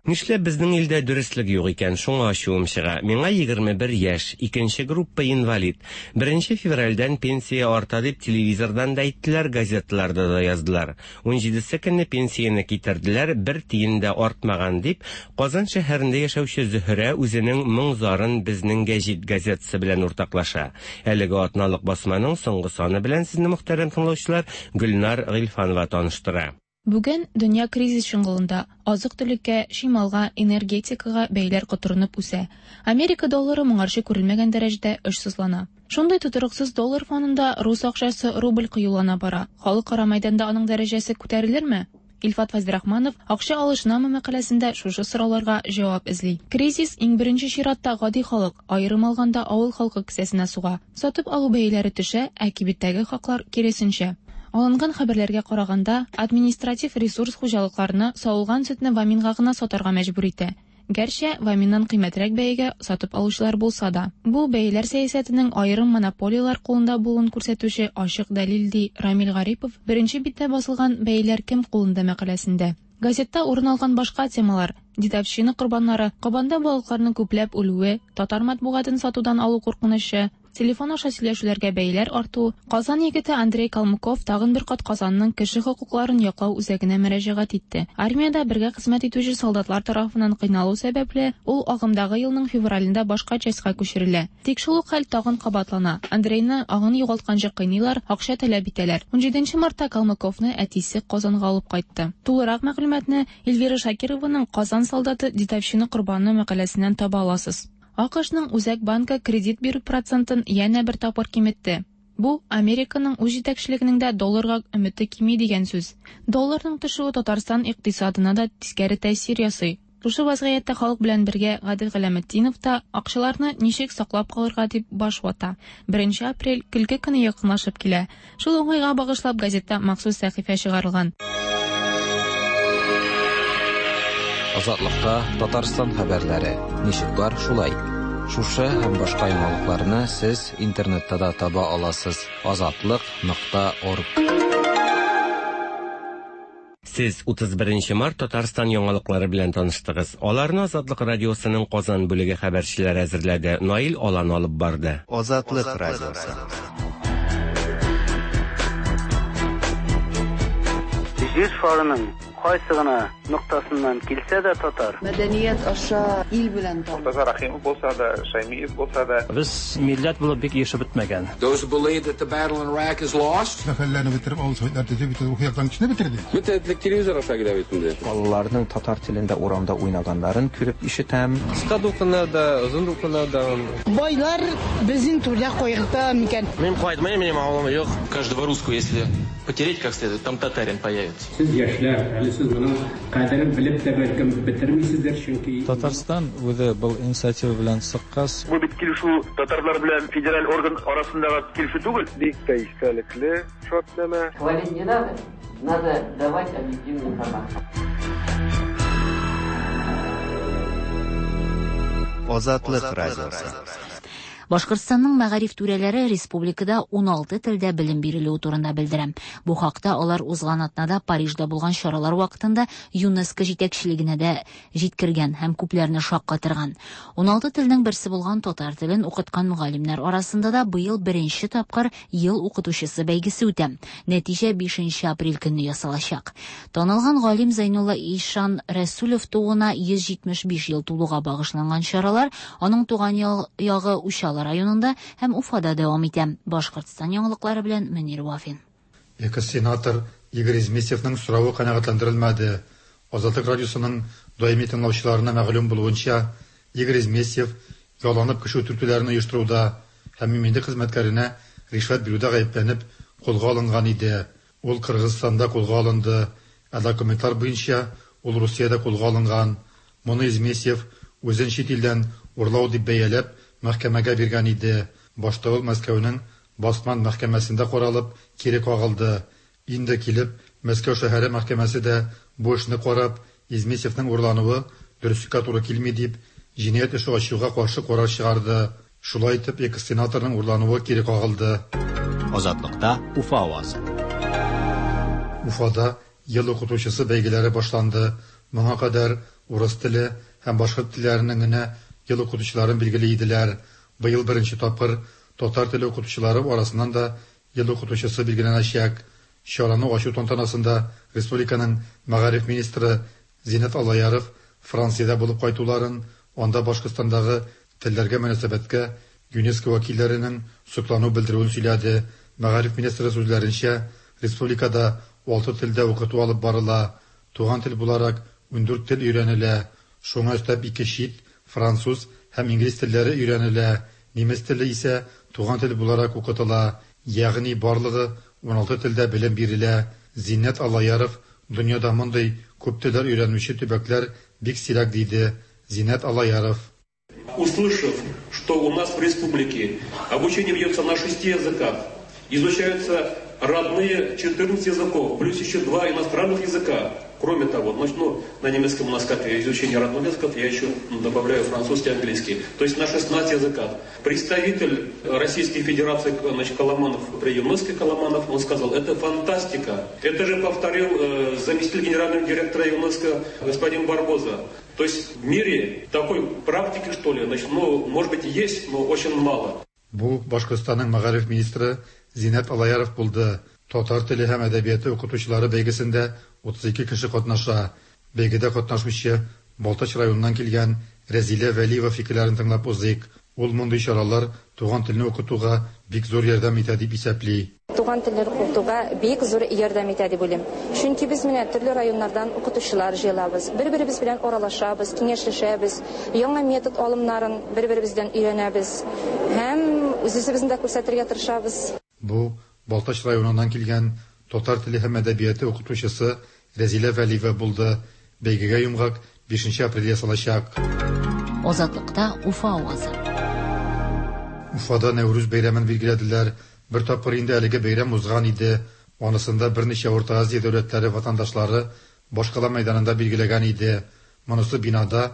Нишләп безнең илдә дөреслек юк икән, шуңа ачуым чыга. Миңа егерме бер яшь, икенче группа инвалид. Беренче февральдән пенсия арта дип телевизордан да әйттеләр, газеталарда да яздылар. Унҗидесе көнне пенсияне китерделәр, бер тиен дә артмаган дип, Казан шәһәрендә яшәүче Зөһрә үзенең моң-зарын безнең гәҗит газетасы белән уртаклаша. Әлеге атналык басманың соңгы саны белән сезне мөхтәрәм тыңлаучылар Гөлнар Гыйльфанова таныштыра. Бүген дөнья кризис чоңгылында, азык-төлеккә, чималга, энергетикага бәяләр котырынып үсә. Америка доллары моңарчы күрелмәгән дәрәҗәдә очсызлана. Шундый тотрыксыз доллар фонында рус акчасы рубль кыюлана бара. Халыкара мәйданда аның дәрәҗәсе күтәрелерме? Илфат Фазлырахманов акча алышынамы мәкаләсендә шушы сорауларга җавап эзли. Кризис иң беренче чиратта гади халык, аерым алганда авыл халкы кесәсенә суга. Сатып алу бәяләре төшә, ә кибеттәге хаклар киресенчә. Алынган хәбәрләргә караганда, административ ресурс хуҗалыкларны савылган сөтне Ваминга гына сатарга мәҗбүр итә. Гәрчә Ваминнан кыйммәтрәк бәягә сатып алучылар булса да. Бу бәяләр сәясәтенең аерым монополияләр кулында булуын күрсәтүче ачык дәлил, ди Рамил Гарипов беренче биттә басылган Бәяләр кем кулында мәкаләсендә. Газетта урын алган башка темалар: дедовщина корбаннары, Кабанда балыкларның күпләп үлүе, татар матбугатын сатудан алу куркынычы, телефон аша сөйләшүләргә бәяләр арту. Казан егете Андрей Калмыков тагын бер кат Казанның кеше хокукларын яклау үзәгенә мөрәҗәгать итте. Армиядә бергә хезмәт итүче солдатлар тарафыннан кыйналу сәбәпле, ул агымдагы елның февралендә башка частька күчерелә. Тик шул ук хәл тагын кабатлана. Андрейны аңын югалтканчы кыйныйлар, акча таләп итәләр. Унҗиденче мартта Калмыковны әтисе Казанга алып кайтты. Тулырак мәгълүматны Эльвира Шакированың Казан солдаты дедовщина корбаны мәкаләсеннән таба аласыз. АКШның Үзәк банкы кредит бирү процентын янә бер тапкыр киметте. Бу Американың үз җитәкчелегенең дә долларга өмете кими дигән сүз. Долларның төшүе Татарстан икътисадына да тискәре тәэсир ясый. Шушы вазгыятьтә халык белән бергә Гадел Галәметдинов та акчаларны ничек саклап калырга дип баш вата. Беренче апрель көлке көне якынлашып килә. Шул уңайга багышлап газетта махсус сәхифә чыгарылган. Азатлыкта Татарстан хәбәрләре. Ничек бар, шулай. Шушы һәм башка яңалыкларны сез интернетта да таба аласыз. Азатлык нокта орг. Сез утыз беренче март Татарстан яңалыклары белән таныштыгыз. Аларны Азатлык радиосының Казан бүлеге хәбәрчеләре әзерләде. Наил Алан алып барды. Азатлык радиосы. Җир шарының кайсы гына ноктасыннан килсә дә татар. Мәдәният аша ил белән таныш. Мортаза Рахимов булса да, Шаймиев булса да. Без милләт булып бик ешып бетмәгән. Those who believe that the battle in Iraq is lost. Мәхәлләне бетереп, авыл советлар төзеп, бит рухи яктан кешене бетерде. Бөтен телевизор аша килә бит инде. Балаларның татар телендә урамда уйнаганнарын күреп ишетәм. Кыска дулкыннарда, озын дулкыннарда. Байлар безнең түрдә кайгырта микән? Мин кайтмыйм, минем авылым юк. Каждого русского, если потереть как следует, там татарин появится. Сез яшьләр, әле сез моның кадерен белеп тә бәлкем бетермисездер, чөнки Татарстан үзе был инициатива белән чыккач. Бу бит килешү татарлар белән федераль орган арасындагы килешү түгел. Бик тә истәлекле шартнамә. Хвалить не надо, надо давать объективную информацию. Азатлык радиосы. Башкортстанның мәгариф түрәләре республикада уналты телдә белем бирелүе турында белдерә. Бу хакта алар узган атнада Парижда булган чаралар вакытында ЮНЕСКО җитәкчелегенә дә җиткергән һәм күпләрне шаккатырган. Уналты телнең берсе булган татар телен укыткан мөгаллимнәр арасында да быел беренче тапкыр ел укытучысы бәйгесе үтә. Нәтиҗә бишенче апрель көнне ясалачак. Танылган галим Зәйнулла Ишан Рәсүлев тууына йөз җитмеш биш ел тулуга багышланган чаралар аның туган ягы Учалы районында һәм Уфада дәвам итә. Башкортстан яңалыклары белән Мөнир Вафин. Экс-сенатор Игорь Изместьевның соравы канәгатьләндерелмәде. Азатлык радиосының даими тыңлаучыларына мәгълүм булуынча, Игорь Изместьев яланып кеше үтертүләрен оештыруда һәм иминлек хезмәткәренә ришвәт бирүдә гаепләнеп кулга алынган иде. Ул Кыргызстанда кулга алынды. Ә документлар буенча Ул Русиядә кулга алынган. Моны Измесьев үзен чит илдән урлау дип бәяләп, мәхкәмәгә биргән иде. Башта ул Мәскәүнең Басман мәхкәмәсендә каралып, кире кагылды. Инде килеп, Мәскәү шәһәре мәхкәмәсе дә бу эшне карап, Измесьевның урлануы дөреслеккә туры килми дип, җинаять эше ачуга каршы карар чыгарды. Шулай итеп, экс-сенаторның урлануы кире кагылды. Азатлыкта Уфа авазы. Уфада ел укытучысы бәйгеләре башланды. Моңа кадәр урыс теле һәм башкорт телләренең генә ел укытучыларын билгели иделәр. Быел беренче тапкыр татар теле укытучылары арасыннан да ел укытучысы билгеләнәчәк. Чараны ачу тантанасында республиканың мәгариф министры Зиннәт Аллаяров Франциядә булып кайтуларын, анда Башкортстандагы телләргә мөнәсәбәткә ЮНЕСКО вәкилләренең соклану белдерүен сөйләде. Мәгариф министры сүзләренчә, республикада алты телдә укыту алып барыла. Туган тел буларак ундүрт тел өйрәнелә. Шуңа өстәп ике чит, француз һәм инглиз телләре өйрәнелә. Немец теле исә туган тел буларак укытыла. Ягъни барлыгы уналты телдә белем бирелә. Зиннәт Аллаяров дөньяда мондый күп телләр өйрәнүче төбәкләр бик сирәк диде. Зиннәт Аллаяров. Услышав, что у нас в республике обучение ведется на шести языках, изучаются родные четырнадцать языков, плюс еще два иностранных языка. Кроме того, значит, ну, на немецком у нас как изучение родных языков, я еще добавляю французский и английский. То есть на шестнадцати языках. Представитель Российской Федерации, значит, Коломанов, при ЮНЕСКО Коломанов, он сказал, это фантастика. Это же повторил э, заместитель генерального директора ЮНЕСКО господин Барбоза. То есть в мире такой практики, что ли, значит, ну, может быть, есть, но очень мало. Бу Башкортстанның мәгариф министры Зиннәт Аллаяров булды. Татар теле һәм әдәбияты укытучылары бәйгесендә утыз ике кеше катнаша. Бәйгедә катнашучы Балтач районыннан килгән Рәзилә Вәлиева фикерләрен тыңлап узыйк. Ул мондый чаралар туган телне укытуга бик зур ярдәм итә дип исәпли. Туган телне укытуга бик зур ярдәм итә дип уйлыйм. Чөнки без менә төрле районнардан укытучылар җыелабыз, бер-беребез белән аралашабыз, киңәшләшәбез, яңа метод алымнарын бер-беребездән өйрәнәбез һәм үз-үзебезне дә күрсәтергә тырышабыз. Бу Балтач районыннан килгән татар теле һәм әдәбияты укытучысы Рәзилә Вәлиева булды. Бәйгегә йомгак бишенче апрель ясалачак. Азатлыкта Уфа авазы. Уфада Нәүрүз бәйрәмен билгеләделәр. Бер тапкыр инде әлеге бәйрәм узган иде. Анысында берничә Урта Азия дәүләтләре ватандашлары башкала мәйданында билгеләгән иде. Монысы бинада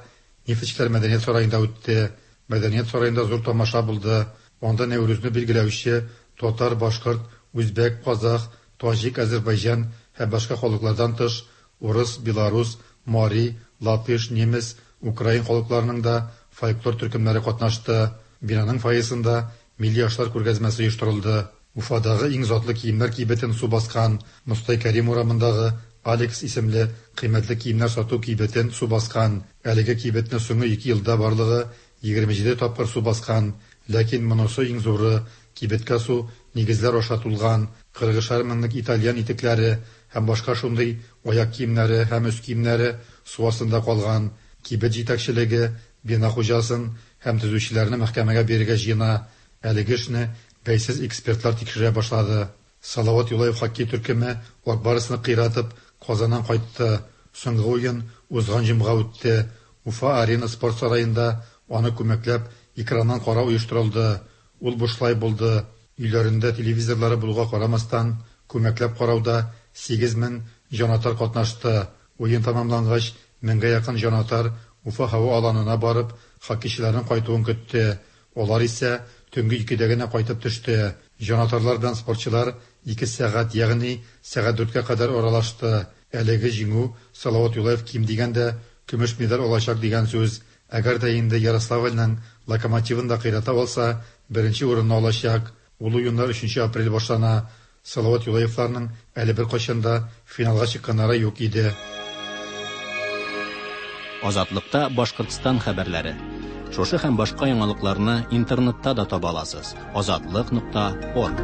Нефтьчеләр мәдәният сараенда үтте. Мәдәният сараенда зур тамаша булды. Анда Нәүрүзне билгеләүче татар, башкорт, үзбәк, казах, таҗик, Азербайҗан һәм башка халыклардан тыш урыс, белорус, мари, латыш, немец, украин халыкларының да фольклор төркемнәре катнашты. Бинаның фойесында милли ашлар күргәзмәсе оештырылды. Уфадагы иң затлы киемнәр кибетен су баскан. Мостай Кәрим урамындагы Алекс исемле кыйммәтле киемнәр сату кибетен су баскан. Әлеге кибетне соңгы ике елда барлыгы егерме җиде тапкыр су баскан. Ләкин монысы иң зуры. Кибеткә су нигезләр аша тулган. Кырыгышар меңлек итальян итекләре һәм башка шундый аяк киемнәре һәм өс киемнәре су астында калган. Кибет җитәкчелеге бина хуҗасын һәм төзүчеләрне мәхкәмәгә бирергә җыена. Әлеге эшне бәйсез экспертлар тикшерә башлады. Салават Юлаев хоккей төркеме Ак Барсны кыйратып Казаннан кайтты. Соңгы уен узган җомга үтте. Уфа Арена спорт сараенда аны күмәкләп экраннан карау оештырылды. Ул бушлай булды. Өйләрендә телевизорлары булуга карамастан, күмәкләп карауда сигез мең җанатар катнашты. Уен тәмамлангач, меңгә якын җанатар Уфа һава аланына барып, хоккейчыларның кайтуын көтте. Алар исә төнге икедә генә кайтып төште. Җанатарлар белән спортчылар ике сәгать, ягъни сәгать дүрткә кадәр аралашты. Әлеге җиңү Салават Юлаев ким дигәндә көмеш медаль алачак дигән сүз. Әгәр дә инде Ярославльның Локомотивын да кыйрата алса, беренче урынны алачак. Ул уеннар өченче апрель башлана. Салават Юлаевларның әле бер кайчан да финалга чыкканнары юк иде. Азатлыкта Башкортстан хәбәрләре. Шушы һәм башка яңалыкларны интернетта да таба аласыз. Азатлык нокта орг.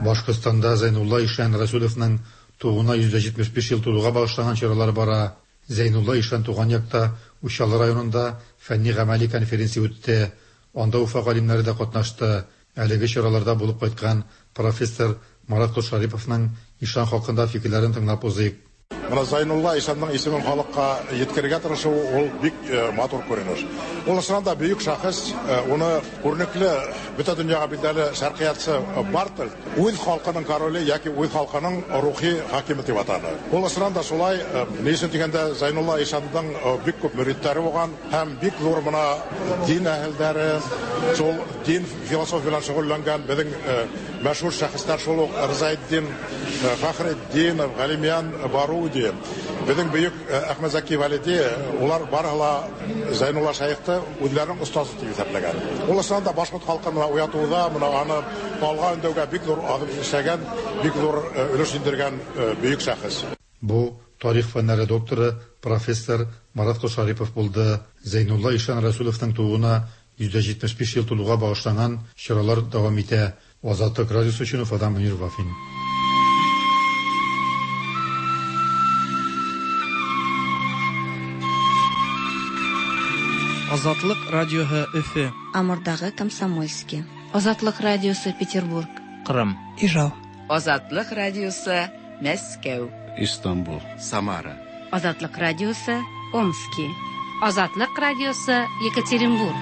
Башкортстанда Зәйнулла Ишан Расуловның тууына йөз җитмеш биш ел тулуга багышланган чаралар бара. Зәйнулла Ишан туган якта Учалы районында фәнни гамәли конференция үтте. Анда Уфа галимнәре дә катнашты. Әлеге чараларда булып кайткан профессор Марат Колшариповның Ишан хакында фикерләрен тыңлап узыйк. Менә Зәйнулла ишанның исемен халыкка еткерергә тырышу ул бик матур күренеш. Ул чыннан да бөек шәхес, уны күренекле бөтен дөньяга билгеле шәркыятчы Бартольд үз халкының короле яки үз халкының рухи хакиме дип атады. Ул чыннан да шулай, ни өчен дигәндә, Зәйнулла ишанның бик күп мөритләре булган һәм бик зур менә дин әһелләре, шул дин философия белән шөгыльләнгән безнең мәшһүр шәхесләр шул ук Рзаетдин Фәхретдинов, Галимян Баруди, безнең бөек Әхмәт Зәки Вәлиди, улар барыһы ла Зәйнулла шәйхте үзләренең остазы дип исәпләгән. Ул чыннан да башкорт халкын менә уятуда, менә аны алга өндәүгә бик зур адым эшләгән, бик зур өлеш индергән бөек шәхес. Бу тарих фәннәре докторы, профессор Марат Кошарипов булды. Зәйнулла ишан Расуловның тууына йөз дә җитмеш биш ел тулуга багышланган чаралар дәвам итә. Азатлык радиосы өчен Уфадан Мөнир Вафин. Азатлык радиоһы Өфө. Амурдагы Комсомольский. Азатлык радиосы Петербург. Кырым. Ижау. Азатлык радиосы Мәскәү. Истанбул. Самара. Азатлык радиосы Омски. Азатлык радиосы Екатеринбург.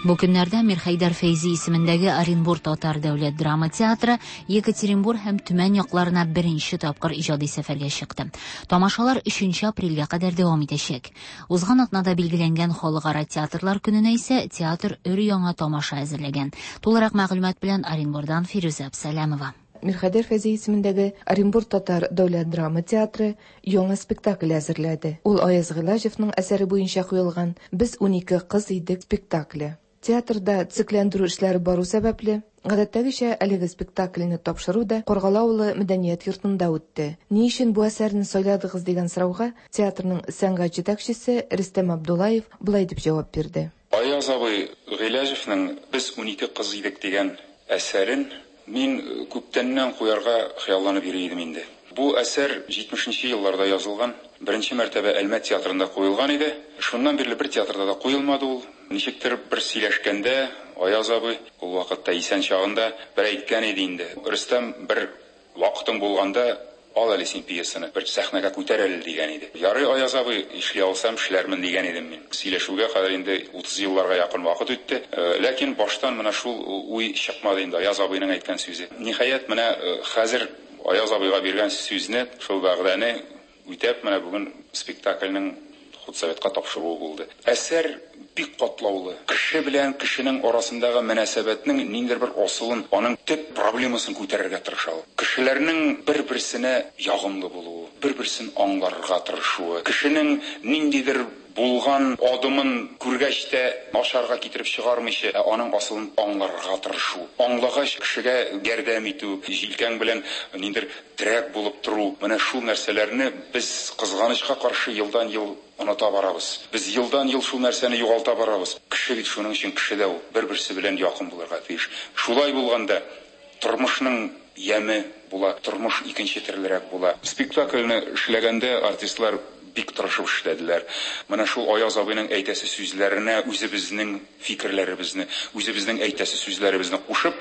Бу көннәрдә Мирхәйдәр Фәйзи исемендәге Оренбур татар дәүләт драма театры Екатеринбур һәм Төмән якларына беренче тапкыр иҗади сәфәргә чыкты. Тамашалар өченче апрельгә кадәр дәвам итәчәк. Узган атнада билгеләнгән Халыкара театрлар көненә исә театр өр-яңа тамаша әзерләгән. Тулырак мәгълүмат белән Оренбурдан Фирүзә Абсалямова. Мирхәйдәр Фәйзи исемендәге Оренбур татар дәүләт драма театры яңа спектакль әзерләде. Ул Аяз Гыйләҗевның әсәре буенча куелган «Без унике кыз идек» спектакле. Театрда цикләндерү эшләре бару сәбәпле, гадәттәгечә әлеге спектакльне тапшыру да Каргалы авылы мәдәният йортында үтте. Ни өчен бу әсәрне сайладыгыз дигән сорауга театрның сәнгать җитәкчесе Рөстәм Абдуллаев болай дип җавап бирде. Аяз абый Гыйләҗевның «Без унике кыз идек» дигән әсәрен мин күптәннән куярга хыялланып йөри идем инде. Бу әсәр җитмешенче елларда язылган, беренче мәртәбә Әлмәт театрында куелган иде. Шуннан бирле бер театрда да куелмады ул. Ничектер бер сөйләшкәндә Аяз абый ул вакытта исән чагында бер әйткән иде инде. Рөстәм, бер вакытың булганда ал әле син пьесаны, бер сәхнәгә күтәр әле дигән иде. Ярый, Аяз абый, эшли алсам эшләрмен дигән идем мин. Сөйләшүгә кадәр инде утыз елларга якын вакыт үтте. Ләкин баштан менә шул уй чыкмады инде Аяз абыйның әйткән сүзе. Ниһаять, менә хәзер Аяз абыйга биргән сүзне, шул вәгъдәне үтәп, менә бүген спектакльнең худсоветка тапшыруы булды. Әсәр бик катлаулы. Кеше белән кешенең арасындагы мөнәсәбәтнең ниндидер бер асылын, аның төп проблемасын күтәрергә тырыша ул. Кешеләрнең бер-берсенә ягымлы булуы, бер-берсен аңларга тырышуы, кешенең ниндидер булган адымын күргәч тә начарга китереп чыгармыйча, ә аның асылын аңларга тырышу. Аңлагач кешегә ярдәм итү, җилкәң белән ниндидер терәк булып тору. Менә шул нәрсәләрне без кызганычка каршы елдан-ел оныта барабыз. Без елдан-ел шул нәрсәне югалта барабыз. Кеше бит шуның өчен кеше дә ул, бер-берсе белән якын булырга тиеш. Шулай булганда тормышның яме була, тормыш икенче төрлерәк була. Спектакльне эшләгәндә артистлар бик тырышып эшләделәр. Менә шул Аяз абыйның әйтәсе сүзләренә үзебезнең фикерләребезне, үзебезнең әйтәсе сүзләребезне кушып,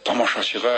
тамашачыга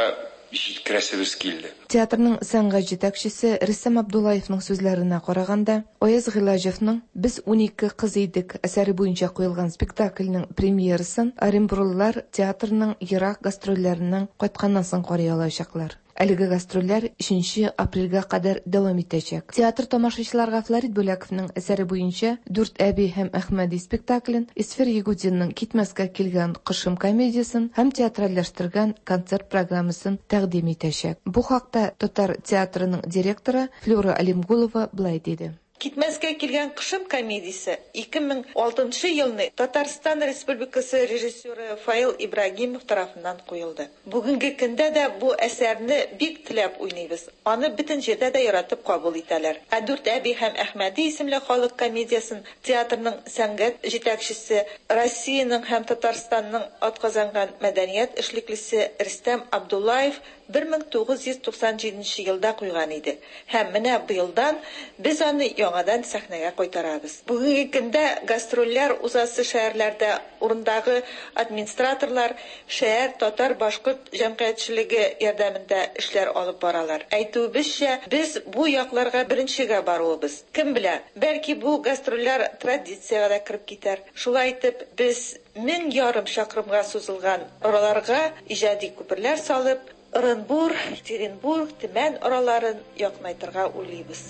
җиткерәсебез килде. Театрның сәнгать җитәкчесе Рөстәм Абдуллаевның сүзләренә караганда, Аяз Гыйләҗевның «Без унике кыз идек» әсәре буенча куелган спектакльнең премьерасын оренбурлылар театрның ерак гастрольләреннән кайтканнан соң карый алачаклар. Әлеге гастрольләр өченче апрельгә кадәр дәвам итәчәк. Театр тамашачыларга Флорид Бүләковның әсәре буенча «Дүрт әби һәм Әхмәди» спектаклен, Исфер Ягудинның «Китмәскә килгән кошым» комедиясен һәм театральләштергән концерт программасын тәкъдим итәчәк. Бу хакта татар театрының директоры Флюра Алимгулова былай диде. Китмәскә килгән кошым комедиясе ике мең алтынчы елны Татарстан Республикасы режиссеры Фаил Ибрагимов тарафыннан куелды. Бүгенге көндә дә бу әсәрне бик теләп уйныйбыз. Аны бөтен җирдә дә яратып кабул итәләр. Ә Дүрт әби һәм Әхмәди исемле халык комедиясен театрның сәнгать җитәкчесе, Россиянең һәм Татарстанның атказанган мәдәният эшлеклесе Рөстәм Абдуллаев бер мең тугыз йөз туксан җиденче елда куйган иде. Һәм менә быелдан без аны яңадан сәхнәгә кайтарабыз. Бүгенге көндә гастрольләр узасы шәһәрләрдә урындагы администраторлар шәһәр татар-башкорт җәмгыятьчелеге ярдәмендә эшләр алып баралар. Әйтүебезчә, без бу якларга беренчегә баруыбыз. Кем белә, бәлки бу гастрольләр традициягә дә кереп китәр. Шулай итеп, без мең ярым чакрымга сузылган араларга иҗади күперләр салып, Оренбур, Екатеринбург, Төмән араларын якынайтырга уйлыйбыз.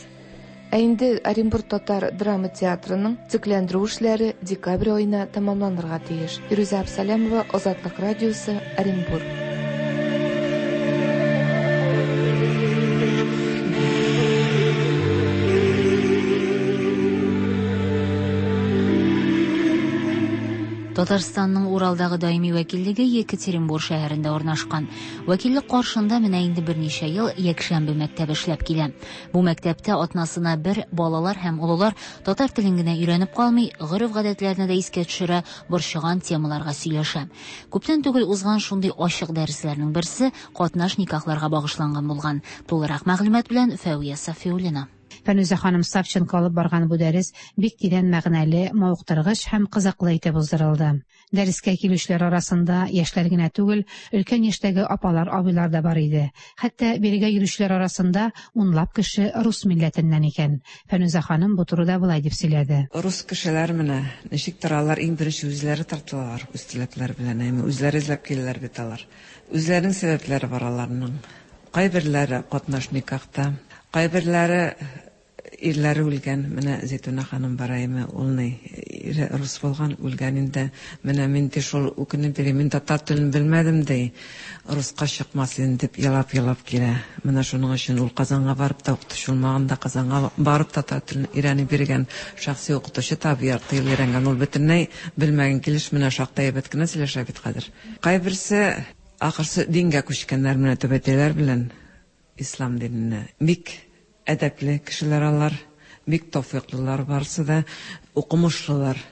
Ә инде Оренбур татар драма театрының төзекләндерү эшләре декабрь аена тәмамланырга тиеш. Фирүзә Абсалямова, Азатлык радиосы, Оренбур. Татарстанның Уралдагы даими вәкиллеге Екатеринбур шәһәрендә урнашкан. Вәкиллек каршында менә инде берничә ел якшәмбе мәктәбе эшләп килә. Бу мәктәптә атнасына бер балалар һәм олылар татар телен генә өйрәнеп калмый, гореф-гадәтләрне дә искә төшерә, борчыган темаларга сөйләшә. Күптән түгел узган шундый ачык дәресләрнең берсе катнаш никахларга багышланган булган. Тулырак мәгълүмат белән Фәвия Сафиуллина. Фәнүзә ханым Савченко алып барган бу дәрес бик тирән мәгънәле, мавыктыргыч һәм кызыклы итеп уздырылды. Дәрескә килүчеләр арасында яшьләр генә түгел, өлкән яшьтәге апалар, абыйлар да бар иде. Хәтта бирегә йөрүчеләр арасында унлап кеше рус милләтеннән икән. Фәнүзә ханым бу турыда болай дип сөйләде. Рус кешеләр менә ничек торалар, иң беренче үзләре тартылалар, үз теләкләре белән, әйме, үзләре эзләп киләләр бит алар. Үзләренең сәбәпләре бар аларның. Кайберләре катнаш никахта, кайберләре ирләре үлгән. Менә Зәйтүнә ханым бар әйме, ул ни ире рус булган, үлгән инде. Менә мин дә шул үкенеп йөрим, мин татар телен белмәдем ди, руска чыкмас инде дип елап-елап килә. Менә шуның өчен ул Казанга барып та укытучы булмаган да, Казанга барып татар телен өйрәнеп йөргән шәхси укытучы табып ярты ел өйрәнгән. Ул бөтенләй белмәгән килеш менә шактай әйбәт кенә сөйләшә бит хәзер. Кайберсе ахырсы дингә күчкәннәр менә төбәтәйләр белән ислам диненә. Бик әдәпле кешеләр алар, бик тәүфыйклылар барысы да, укымышлылар.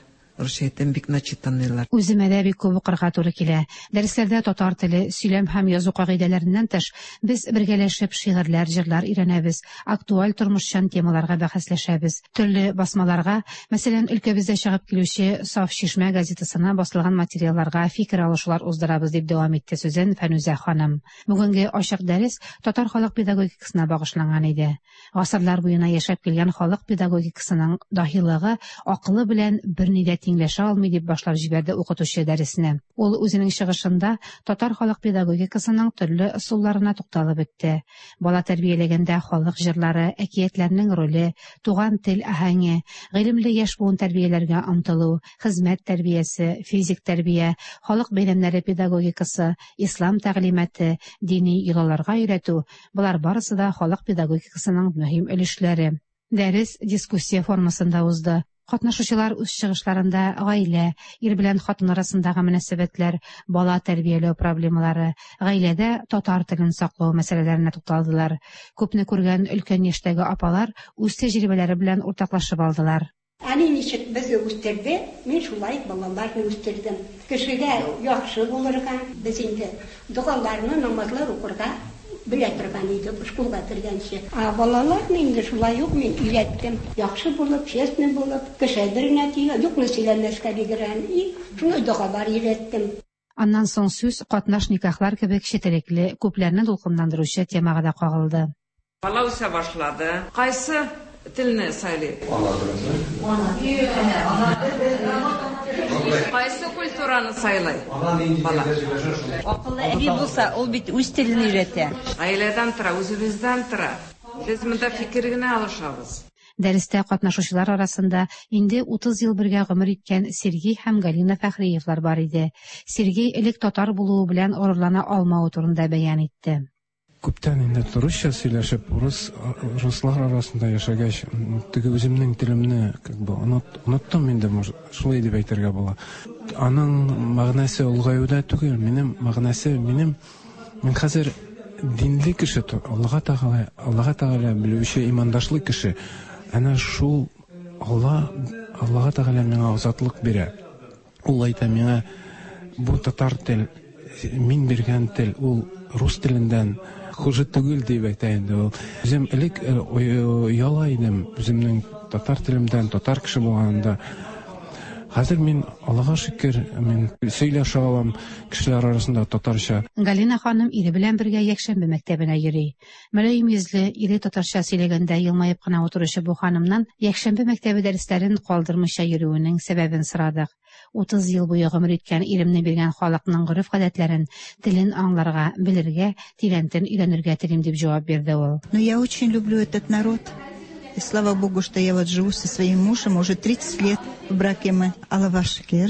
Русча әйтәм, бик начитанныйлар. Үземә дә бик күп укырга туры килә. Дәресләрдә татар теле, сөйләм һәм язу кагыйдәләреннән тыш, без бергәләшеп шигырьләр, җырлар өйрәнәбез, актуаль тормышчан темаларга бәхәсләшәбез. Төрле басмаларга, мәсәлән, өлкәбездә чыгып килүче Саф Чишмә газетасына басылган материалларга фикер алышулар уздырабыз, дип дәвам итте сүзен Фәнүзә ханым. Бүгенге ачык дәрес татар халык педагогикасына багышланган иде. Гасырлар буена яшәп килгән халык педагогикасының даһилыгы акылы белән берни дә тиңләшә алмый, дип башлап җибәрде укытучы дәресне. Ул үзенең чыгышында татар халык педагогикасының төрле ысулларына тукталып үтте. Бала тәрбияләгәндә халык җырлары, әкиятләрнең роле, туган тел аһәңе, гыйлемле яшь буын тәрбияләргә омтылу, хезмәт тәрбиясе, физик тәрбия, халык бәйрәмнәре педагогикасы, ислам тәгълиматы, дини йолаларга өйрәтү – болар барысы да халык педагогикасының мөһим өлешләре. Дәрес дискуссия формасында узды. Катнашучылар үз чыгышларында гаилә, ир белән хатын арасындагы мөнәсәбәтләр, бала тәрбияләү проблемалары, гаиләдә татар телен саклау мәсьәләләренә тукталдылар. Күпне күргән өлкән яшьтәге апалар үз тәҗрибәләре белән уртаклашып алдылар. Әни ничек безне үстерде, мин шулай балаларны үстердем. Кешегә яхшы булырга, без инде догаларны, намазлар укырга белә торган идек, школга кергәнче. Ә балаларны инде шулай ук мин өйрәттем. Яхшы булып, честный булып, кеше беренә тия, юкны сөйләмәскә дигән, и шулай догалар өйрәттем. Аннан соң сүз катнаш никахлар кебек четерекле, күпләрне дулкынландыручы темага да кагылды. Бала үсә башлады. Кайсы телне сайлый? Ана Кайсы культураны сайлый? Бала. Акыллы әби булса, ул бит үз телен өйрәтә. Гаиләдән тора, үзебездән тора. Без монда фикер генә алышабыз. Дәрестә катнашучылар арасында инде утыз ел бергә гомер иткән Сергей һәм Галина Фәхриевлар бар иде. Сергей элек татар булуы белән горурлана алмавы турында бәян итте. Күптән инде русча сөйләшеп, рус руслар арасында яшәгәч, теге үземнең телемне как бы оныттым инде, может, шулай дип әйтергә була. Аның мәгънәсе олгаюда түгел, минем мәгънәсе минем мин хәзер динле кеше, Аллаһ Тәгалә, Аллаһ Тәгалә белүче имандашлы кеше. Әнә шул Алла, Аллаһ Тәгалә миңа азатлык бирә. Ул әйтә миңа, бу татар тел, мин биргән тел, ул рус телендән хуже түгел дип әйтә инде ул. Үзем элек ояла идем, үземнең татар телемдән, татар кеше булганында. Хәзер мин, Аллага шөкер, мин сөйләшә алам кешеләр арасында татарча. Галина ханым ире белән бергә якшәмбе мәктәбенә йөри. Мөлаем йөзле, ире татарча сөйләгәндә елмаеп кына утыручы бу ханымнан якшәмбе мәктәбе дәресләрен калдырмыйча йөрүенең сәбәбен сорадык. Утыз ел буе гомер иткән иремне биргән халыкның гореф-гадәтләрен, телен аңларга, белергә, тирәнтен өйрәнергә телим дип җавап бирде ул. Но я очень люблю этот народ. И слава Богу, что я вот живу со своим мужем, уже тридцать лет в браке мы. Аллаһка шөкер.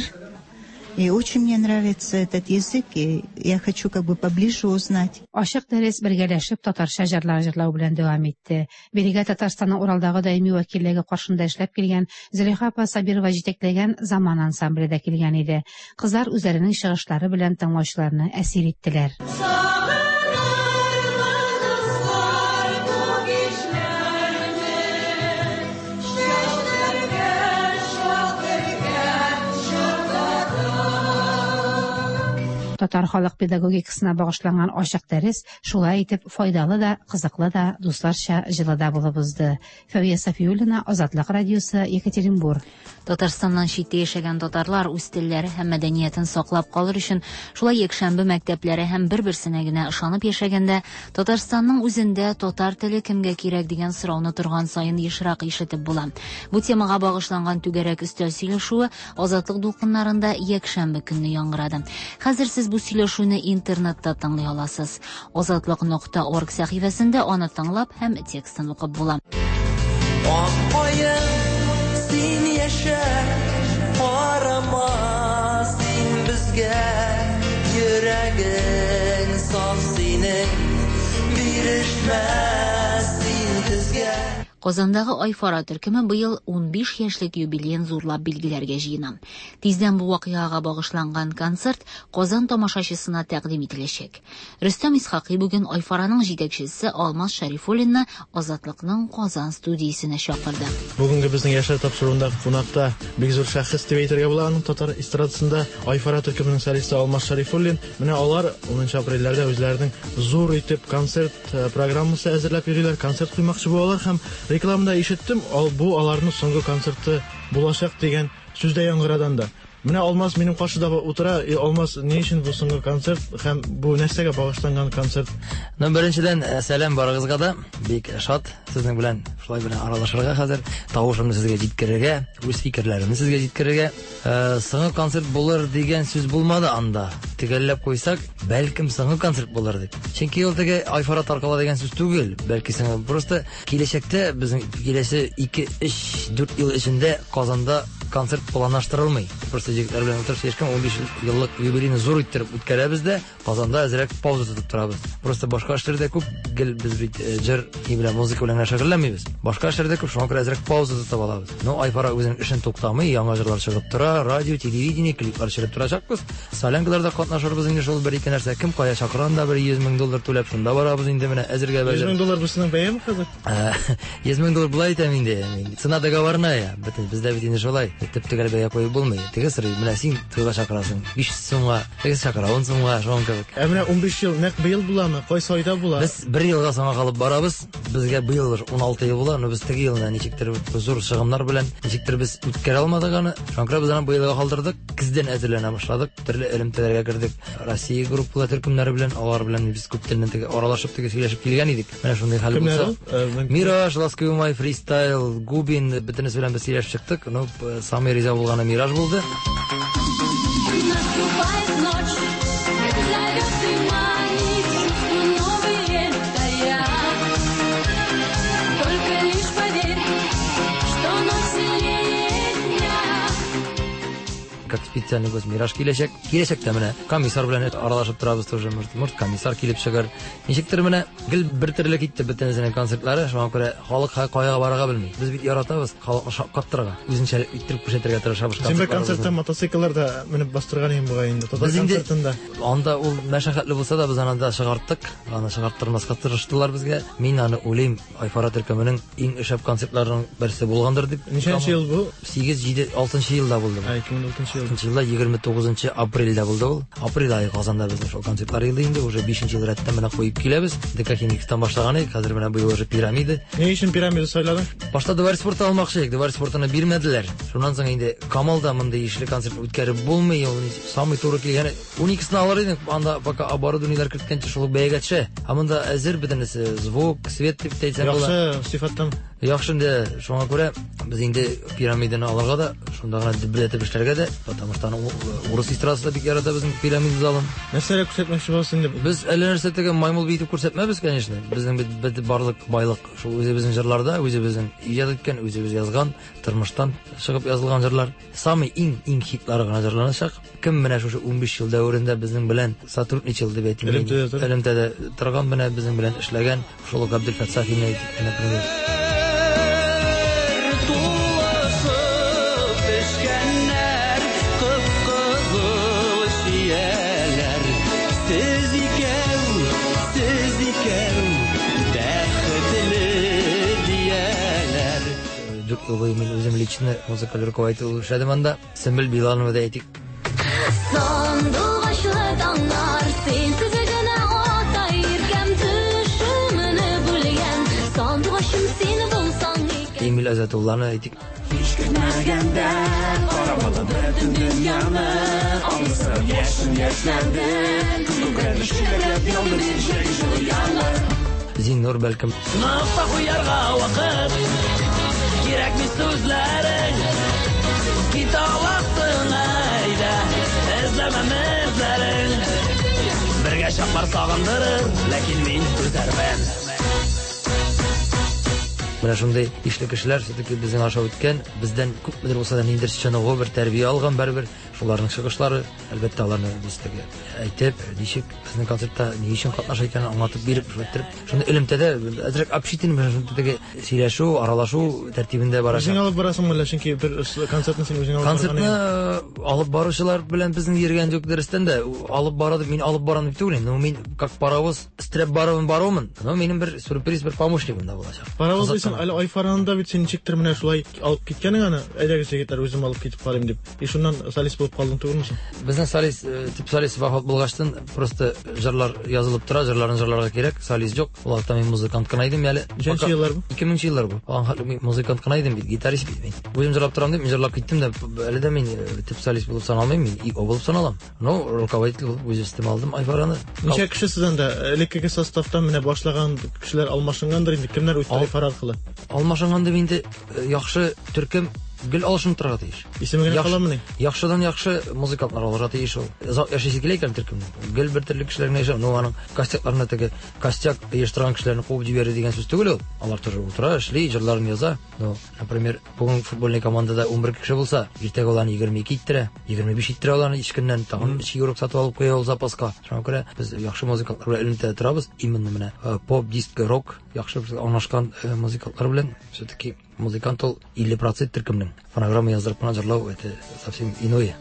И очень мне нравится этот язык, и я хочу как бы поближе узнать. Ачык дәрес бергәләшеп татарча җырлар җырлау белән дәвам итте. Бирегә Татарстанның Уралдагы даими вәкиллеге каршында эшләп килгән Зөләйха апа Сабирова җитәкләгән Заман ансамбле дә килгән иде. Кызлар үзләренең чыгышлары белән тыңлаучыларны әсир иттеләр. Татар халык педагогикасына багышланган ачык дәрес шулай итеп файдалы да, кызыклы да, дусларча җылы да булып узды. Фәвия Сафиуллина, Азатлык радиосы, Екатеринбург. Татарстаннан читтә яшәгән татарлар үз телләре һәм мәдәниятен саклап калыр өчен шулай якшәмбе мәктәпләре һәм бер-берсенә генә ышанып яшәгәндә Татарстанның үзендә татар теле кемгә кирәк дигән сорауны торган саен ешрак ишетеп була. Бу темага багышланган түгәрәк өстәл сөйләшүе Азатлык дулкыннарында якшәмбе көнне яңгырады. Хәзер сез бу сөйләшүне интернетта тыңлый аласыз. Азатлык нокта орг сәхифәсендә аны тыңлап һәм текстын укып була. Аккаен, син яшә, карама син безгә, йөрәгең саф синең, бирешмә син безгә. Казандагы Айфара төркеме быел унбиш яшьлек юбилеен зурлап билгеләргә җыена. Тиздән бу вакыйгага багышланган концерт Казан тамашачысына тәкъдим ителәчәк. Рөстәм Исхакый бүген Айфараның җитәкчесе Алмаз Шәрифуллинны Азатлыкның Казан студиясенә чакырды. Бүгенге безнең яшьләр тапшыруында кунакта бик зур шәхес дип әйтергә була аның татар эстрадасында Айфара төркеменең солисты Алмаз Шәрифуллин. Менә алар унынчы апрельләрдә үзләренең зур итеп концерт программасы әзерләп йөриләр, концерт куймакчы булалар һәм рекламада ишеттем, ал бу аларның соңгы концерты булачак дигән сүз дә яңгырадан да. Менә Алмаз минем каршыда утыра. Алмаз, ни өчен бу соңгы концерт һәм бу нәрсәгә багышланган концерт? Ну, беренчедән, сәлам барыгызга да. Бик шат сезнең белән шулай белән аралашырга хәзер, тавышымны сезгә җиткерергә, үз фикерләремне сезгә җиткерергә. Соңгы концерт булыр дигән сүз булмады анда. Төгәлләп куйсак, бәлкем соңгы концерт булыр дип. Чөнки ул теге Айфара таркала дигән сүз түгел, бәлки соңгы. Просто киләчәктә безнең киләсе ике, өч, дүрт ел эчендә Казанда концерт планлаштырылмый. Просто егетләр белән утырып сөйләшкән, унбиш еллык юбилейны зур иттереп үткәрәбез дә, Казанда әзрәк пауза тотып торабыз. Просто башка эшләрдә күп, гел без бит җыр белән, музыка белән генә шөгыльләнмибез. Башка эшләрдә күп, шуңа күрә әзрәк пауза тотып алабыз. Но Айфара үзенең эшен туктамый, яңа җырлар чыгып тора, радио, телевидение, клиплар төшереп торачакбыз. Солянкаларда катнашырбыз инде, шул бер-ике нәрсә. Кем кая чакыра, анда бер йөз мең доллар түләп шунда барабыз инде, менә әзергә бәлки. йөз мең доллар бусының бәяме хәзер? йөз мең доллар болай әйтәм инде. Цена договорная. Бөтен бездә бит инде шулай. Төп-төгәл бәя куеп булмый. Теге сорый, менә син туйга чакырасың, биш йөз сумга, теге чакыра ун сумга, шуның кебек. Ә менә унбиш ел нәкъ быел буламы? Кайсы айда була? Без бер елга соңга калып барабыз. Безгә быел уналты ел була, но без теге елны ничектер зур чыгымнар белән ничектер без үткәрә алмадык аны. Шуңа күрә без аны быелга калдырдык. Көздән әзерләнә башладык. Төрле элемтәләргә кердек. Россия группалар төркемнәре белән, алар белән без күптәннән теге аралашып, теге сөйләшеп килгән идек. Менә шундый хәл булса. Мираж, Ласковый май, Фристайл, Губин, бөтенесе белән без сөйләшеп чыктык. Но самый риза булганы Мираж булды. Наступает ночь, зовет и манит, чувства новые тая. Только лишь поверь, что ночь сильнее дня. Как специальный гость Мираж киләчәк. Киләчәктә менә комиссар белән аралашып торабыз тоже. Может, может комиссар килеп чыгар. Ничектер менә гел бер төрле китте бөтенесенең концертлары. Шуңа күрә халык кая барырга белми. Без бит яратабыз халыкны шаккаттырырга, үзенчәлек иттереп күрсәтергә тырышабыз. Син бер концертта мотоциклларда менеп бастырган идең бугай инде. Татар концертында. Анда ул мәшәкатьле булса да без аны да чыгарттык. Аны чыгарттырмаска тырыштылар безгә. Мин аны уйлыйм, Айфара төркеменең иң шәп концертларының берсе булгандыр дип. Ничәнче ел бу? Сигез, җиде, алтынчы елда булды. Ә, ике мең алтынчы Икенче елда егерме тугызынчы апрельдә булды ул. Апрель ае Казанда безнең шул концертлар елды инде, уже бишенче ел рәттән менә куеп киләбез. ДК Химикстан башлаган идек, хәзер менә быел уже Пирамида. Ни өчен Пирамида сайладың? Башта Дворец спорты алмакчы идек, Дворец спортына бирмәделәр. Шуннан соң инде Камалда мондый ишле концерт үткәреп булмый, ул самый туры килгәне уникесен алыр идек, анда пока оборудованиеләр керткәнче шул бәягә төшә. Ә монда әзер бөтенесе, звук, свет дип әйтсәң була. Яхшы сыйфаттан. Яхшы инде, шуңа күрә без инде Пирамиданы алырга да, шунда гына дөбеләтеп эшләргә дә, потому что аны урыс эстрадасы да бик ярата безнең Пирамида залын. Нәрсәләр күрсәтмәкче буласың инде? Без әллә нәрсә теге маймыл биетеп күрсәтмәбез, конечно. Безнең бит бит барлык байлык шул үзебезнең җырларда, үзебезнең иҗат иткән, үзебез язган, тормыштан чыгып язылган җырлар. Самый иң иң хитлары гына җырланачак. Кем менә шушы унбиш ел дәверендә безнең белән сотрудничал дип әйтим, элемтәдә торган, менә безнең белән эшләгән шул ук Абделфәт Сафинны әйтик, например. Тулышып пешкәннәр, кып-кызыл чияләр. Сез икәү, сез икәү, бәхетле дияләр. Дүрт ел буе мин үзем лично музыкаль руководитель булып эшләдем анда. Сөмбел Биланова да әйтик. Сандугачлы таңнар, синсез генә ата иркәм, төшемне бүлгән сандугачым син булсаң икән. Эмиль Азатулланы әйтик. Һич көтмәгәндә карамады бөтен дөньяны, аңлысым яшен яшьләнде, күкрәге чиләкләп янды бер җәйге җылы яңгыр. Зиннур бәлкем. Нокта куярга вакыт, кирәкми сүзләрең, кит аласың әйдә, эзләмәм эзләрең. Бергә чаклар сагындырыр, ләкин мин түзәрмен. Менә шундый ишле кешеләр все-таки безнең аша үткән, бездән күпмедер булса да ниндидер чыныгу, бер тәрбия алган барыбер. Шуларның чыгышлары, әлбәттә, аларны без теге әйтеп, ничек безнең концертта ни өчен катнаша икәнен аңлатып биреп, шулай иттереп, шундый элемтәдә әзрәк общительный, менә шундый теге сөйләшү, аралашу тәртибендә барачак. Үзең алып барасыңмы әллә? Чөнки бер концертны син үзең алып барган Концертны идең. алып баручылар белән безнең йөргән юк, дөрестән дә, алып бара дип, мин алып барам дип түгел инде. Ну, мин как паровоз өстерәп баруын баруымын, но минем бер сюрприз, бер помощнигым да булачак. Паровоз Кызык дисең, әле Айфаранда бит син ничектер менә шулай алып киткәнең аны, әйдәгез егетләр, үзем алып китеп карыйм дип. И шуннан солист булып калдың түгелме соң? Безнең солист, э, төп солист вафат булгачтан просто җырлар язылып тора, җырларын җырларга кирәк, солист юк. Ул вакытта мин музыкант кына идем әле. Ничәнче еллар бу? Ике меңенче еллар бу. Аңа хәтле мин музыкант кына идем бит, гитарист бит мин. Үзем җырлап торам дип, мин җырлап киттем дә, әле дә мин, э, төп солист булып саналмыйм, мин ИО булып саналам. Но руководитель булып үз өстемә алдым Айфараны. Ничә кеше сез анда? Элеккеге составтан менә башлаган кешеләр алмашынгандыр инде. Кемнәр үтте Ал- Айфара аркылы? Алмашынган дип инде, э, яхшы төркем гел алышынып торырга тиеш. Исеме генә Яхшы- каламыни? Яхшыдан яхшы музыкантлар алырга тиеш ул. Озак яшисе килә икән төркемнең. Гел бер төрле кешеләр генә яшәп, ну аның костякларына теге костяк оештырган кешеләрне куып җибәрү дигән сүз түгел ул. Алар тоже утыра, эшли, җырларын яза. Ну, например, бүген футбольный командада унбер кеше булса, иртәгә аларны егерме ике иттерә, егерме биш иттерә аларны өч көннән тагын өч игрок сатып алып куя ул запаска. Шуңа күрә без яхшы музыкантлар белән элемтәдә торабыз. Именно менә, э, поп, диско, рок яхшы бер аңлашкан, э, музыкантлар белән. Все-таки музыкант ул илле процент төркемнең. Фонограмма яздырып кына җырлау это совсем иное.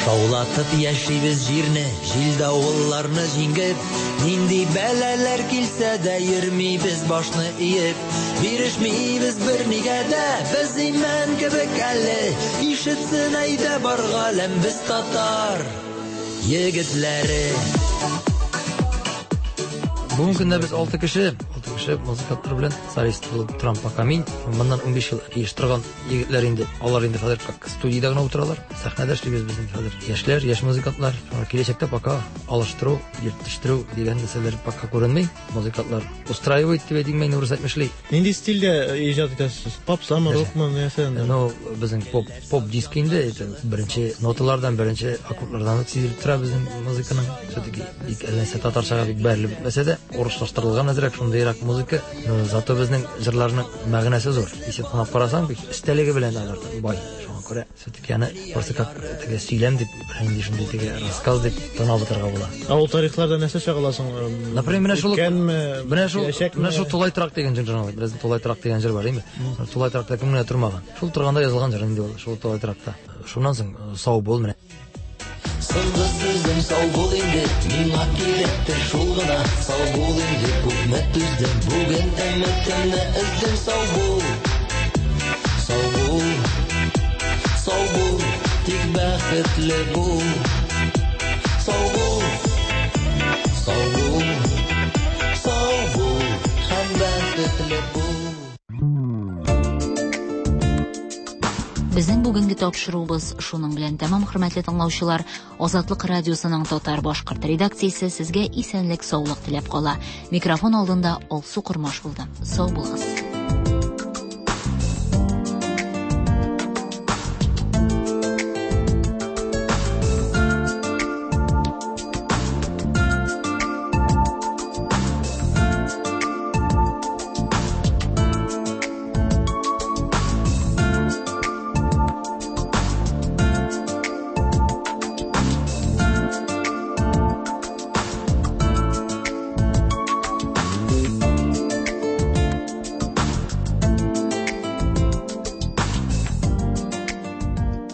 Шаулатып яшибез җирне, җил давылларны җиңеп, нинди бәлаләр килсә дә йөрмибез башны иеп, бирешмибез бернигә дә, без имән кебек әле, ишетсен әйдә бар галәм, без татар егетләре. Бүгенге көндә без алты кеше, алты кеше музыкантлар белән солист булып торам пока мин. Моннан унбиш ел оештырган егетләр инде, алар инде хәзер как студиядә генә утыралар. Сәхнәдә эшлибез без инде хәзер. Яшьләр, яшь музыкантлар. Шуңа киләчәктә пока алыштыру, йөртештерү дигән нәрсәләр пока күренми. Музыкантлар устраивает дип әйтим мин, урыс әйтмешли. Нинди стильдә иҗат итәсез? Попсамы, рокмы, нәрсә инде? Ну, безнең поп, поп диск инде, это беренче ноталардан, беренче аккордлардан ук сизелеп тора безнең музыканың. Все-таки бик әллә нәрсә татарчага бик бәрелеп бетмәсә дә, урыслаштырылган әзрәк шундыйрак музыка. Но зато безнең җырларның мәгънәсе зур. Исәп санап карасаң, бик өстәлеге белән алар бай. Шуңа күрә все-таки аны просто как теге сөйләм дип, инде шундый теге рассказ дип тыңлап утырырга була. Ә ул тарихларда нәрсә чагыласың? Например, менә шул Үткәнме, менә шул, киләчәкме? менә шул тулай торак дигән җыр җырладык. Безнең тулай торак дигән җыр бар, әйме? Тулай торакта кем генә тормаган. Шул торганда язылган җыр инде ул, шул тулай торакта. Шуннан соң, э, сау бул менә. Соңгы сүзем сау бул инде, миңа кирәктер шул гына. Сау бул инде, күпме түздем, бүген өметемне өздем. Сау бул, сау бул, сау бул. Тик бәхетле бул. Сау бул, сау бул, сау бул һәм бәхетле бул. Безнең бүгенге тапшыруыбыз шуның белән тәмам, хөрмәтле тыңлаучылар. Азатлык радиосының татар башкорт редакциясе сезгә исәнлек, саулык теләп кала. Микрофон алдында Алсу Кормаш булды. Сау булыгыз.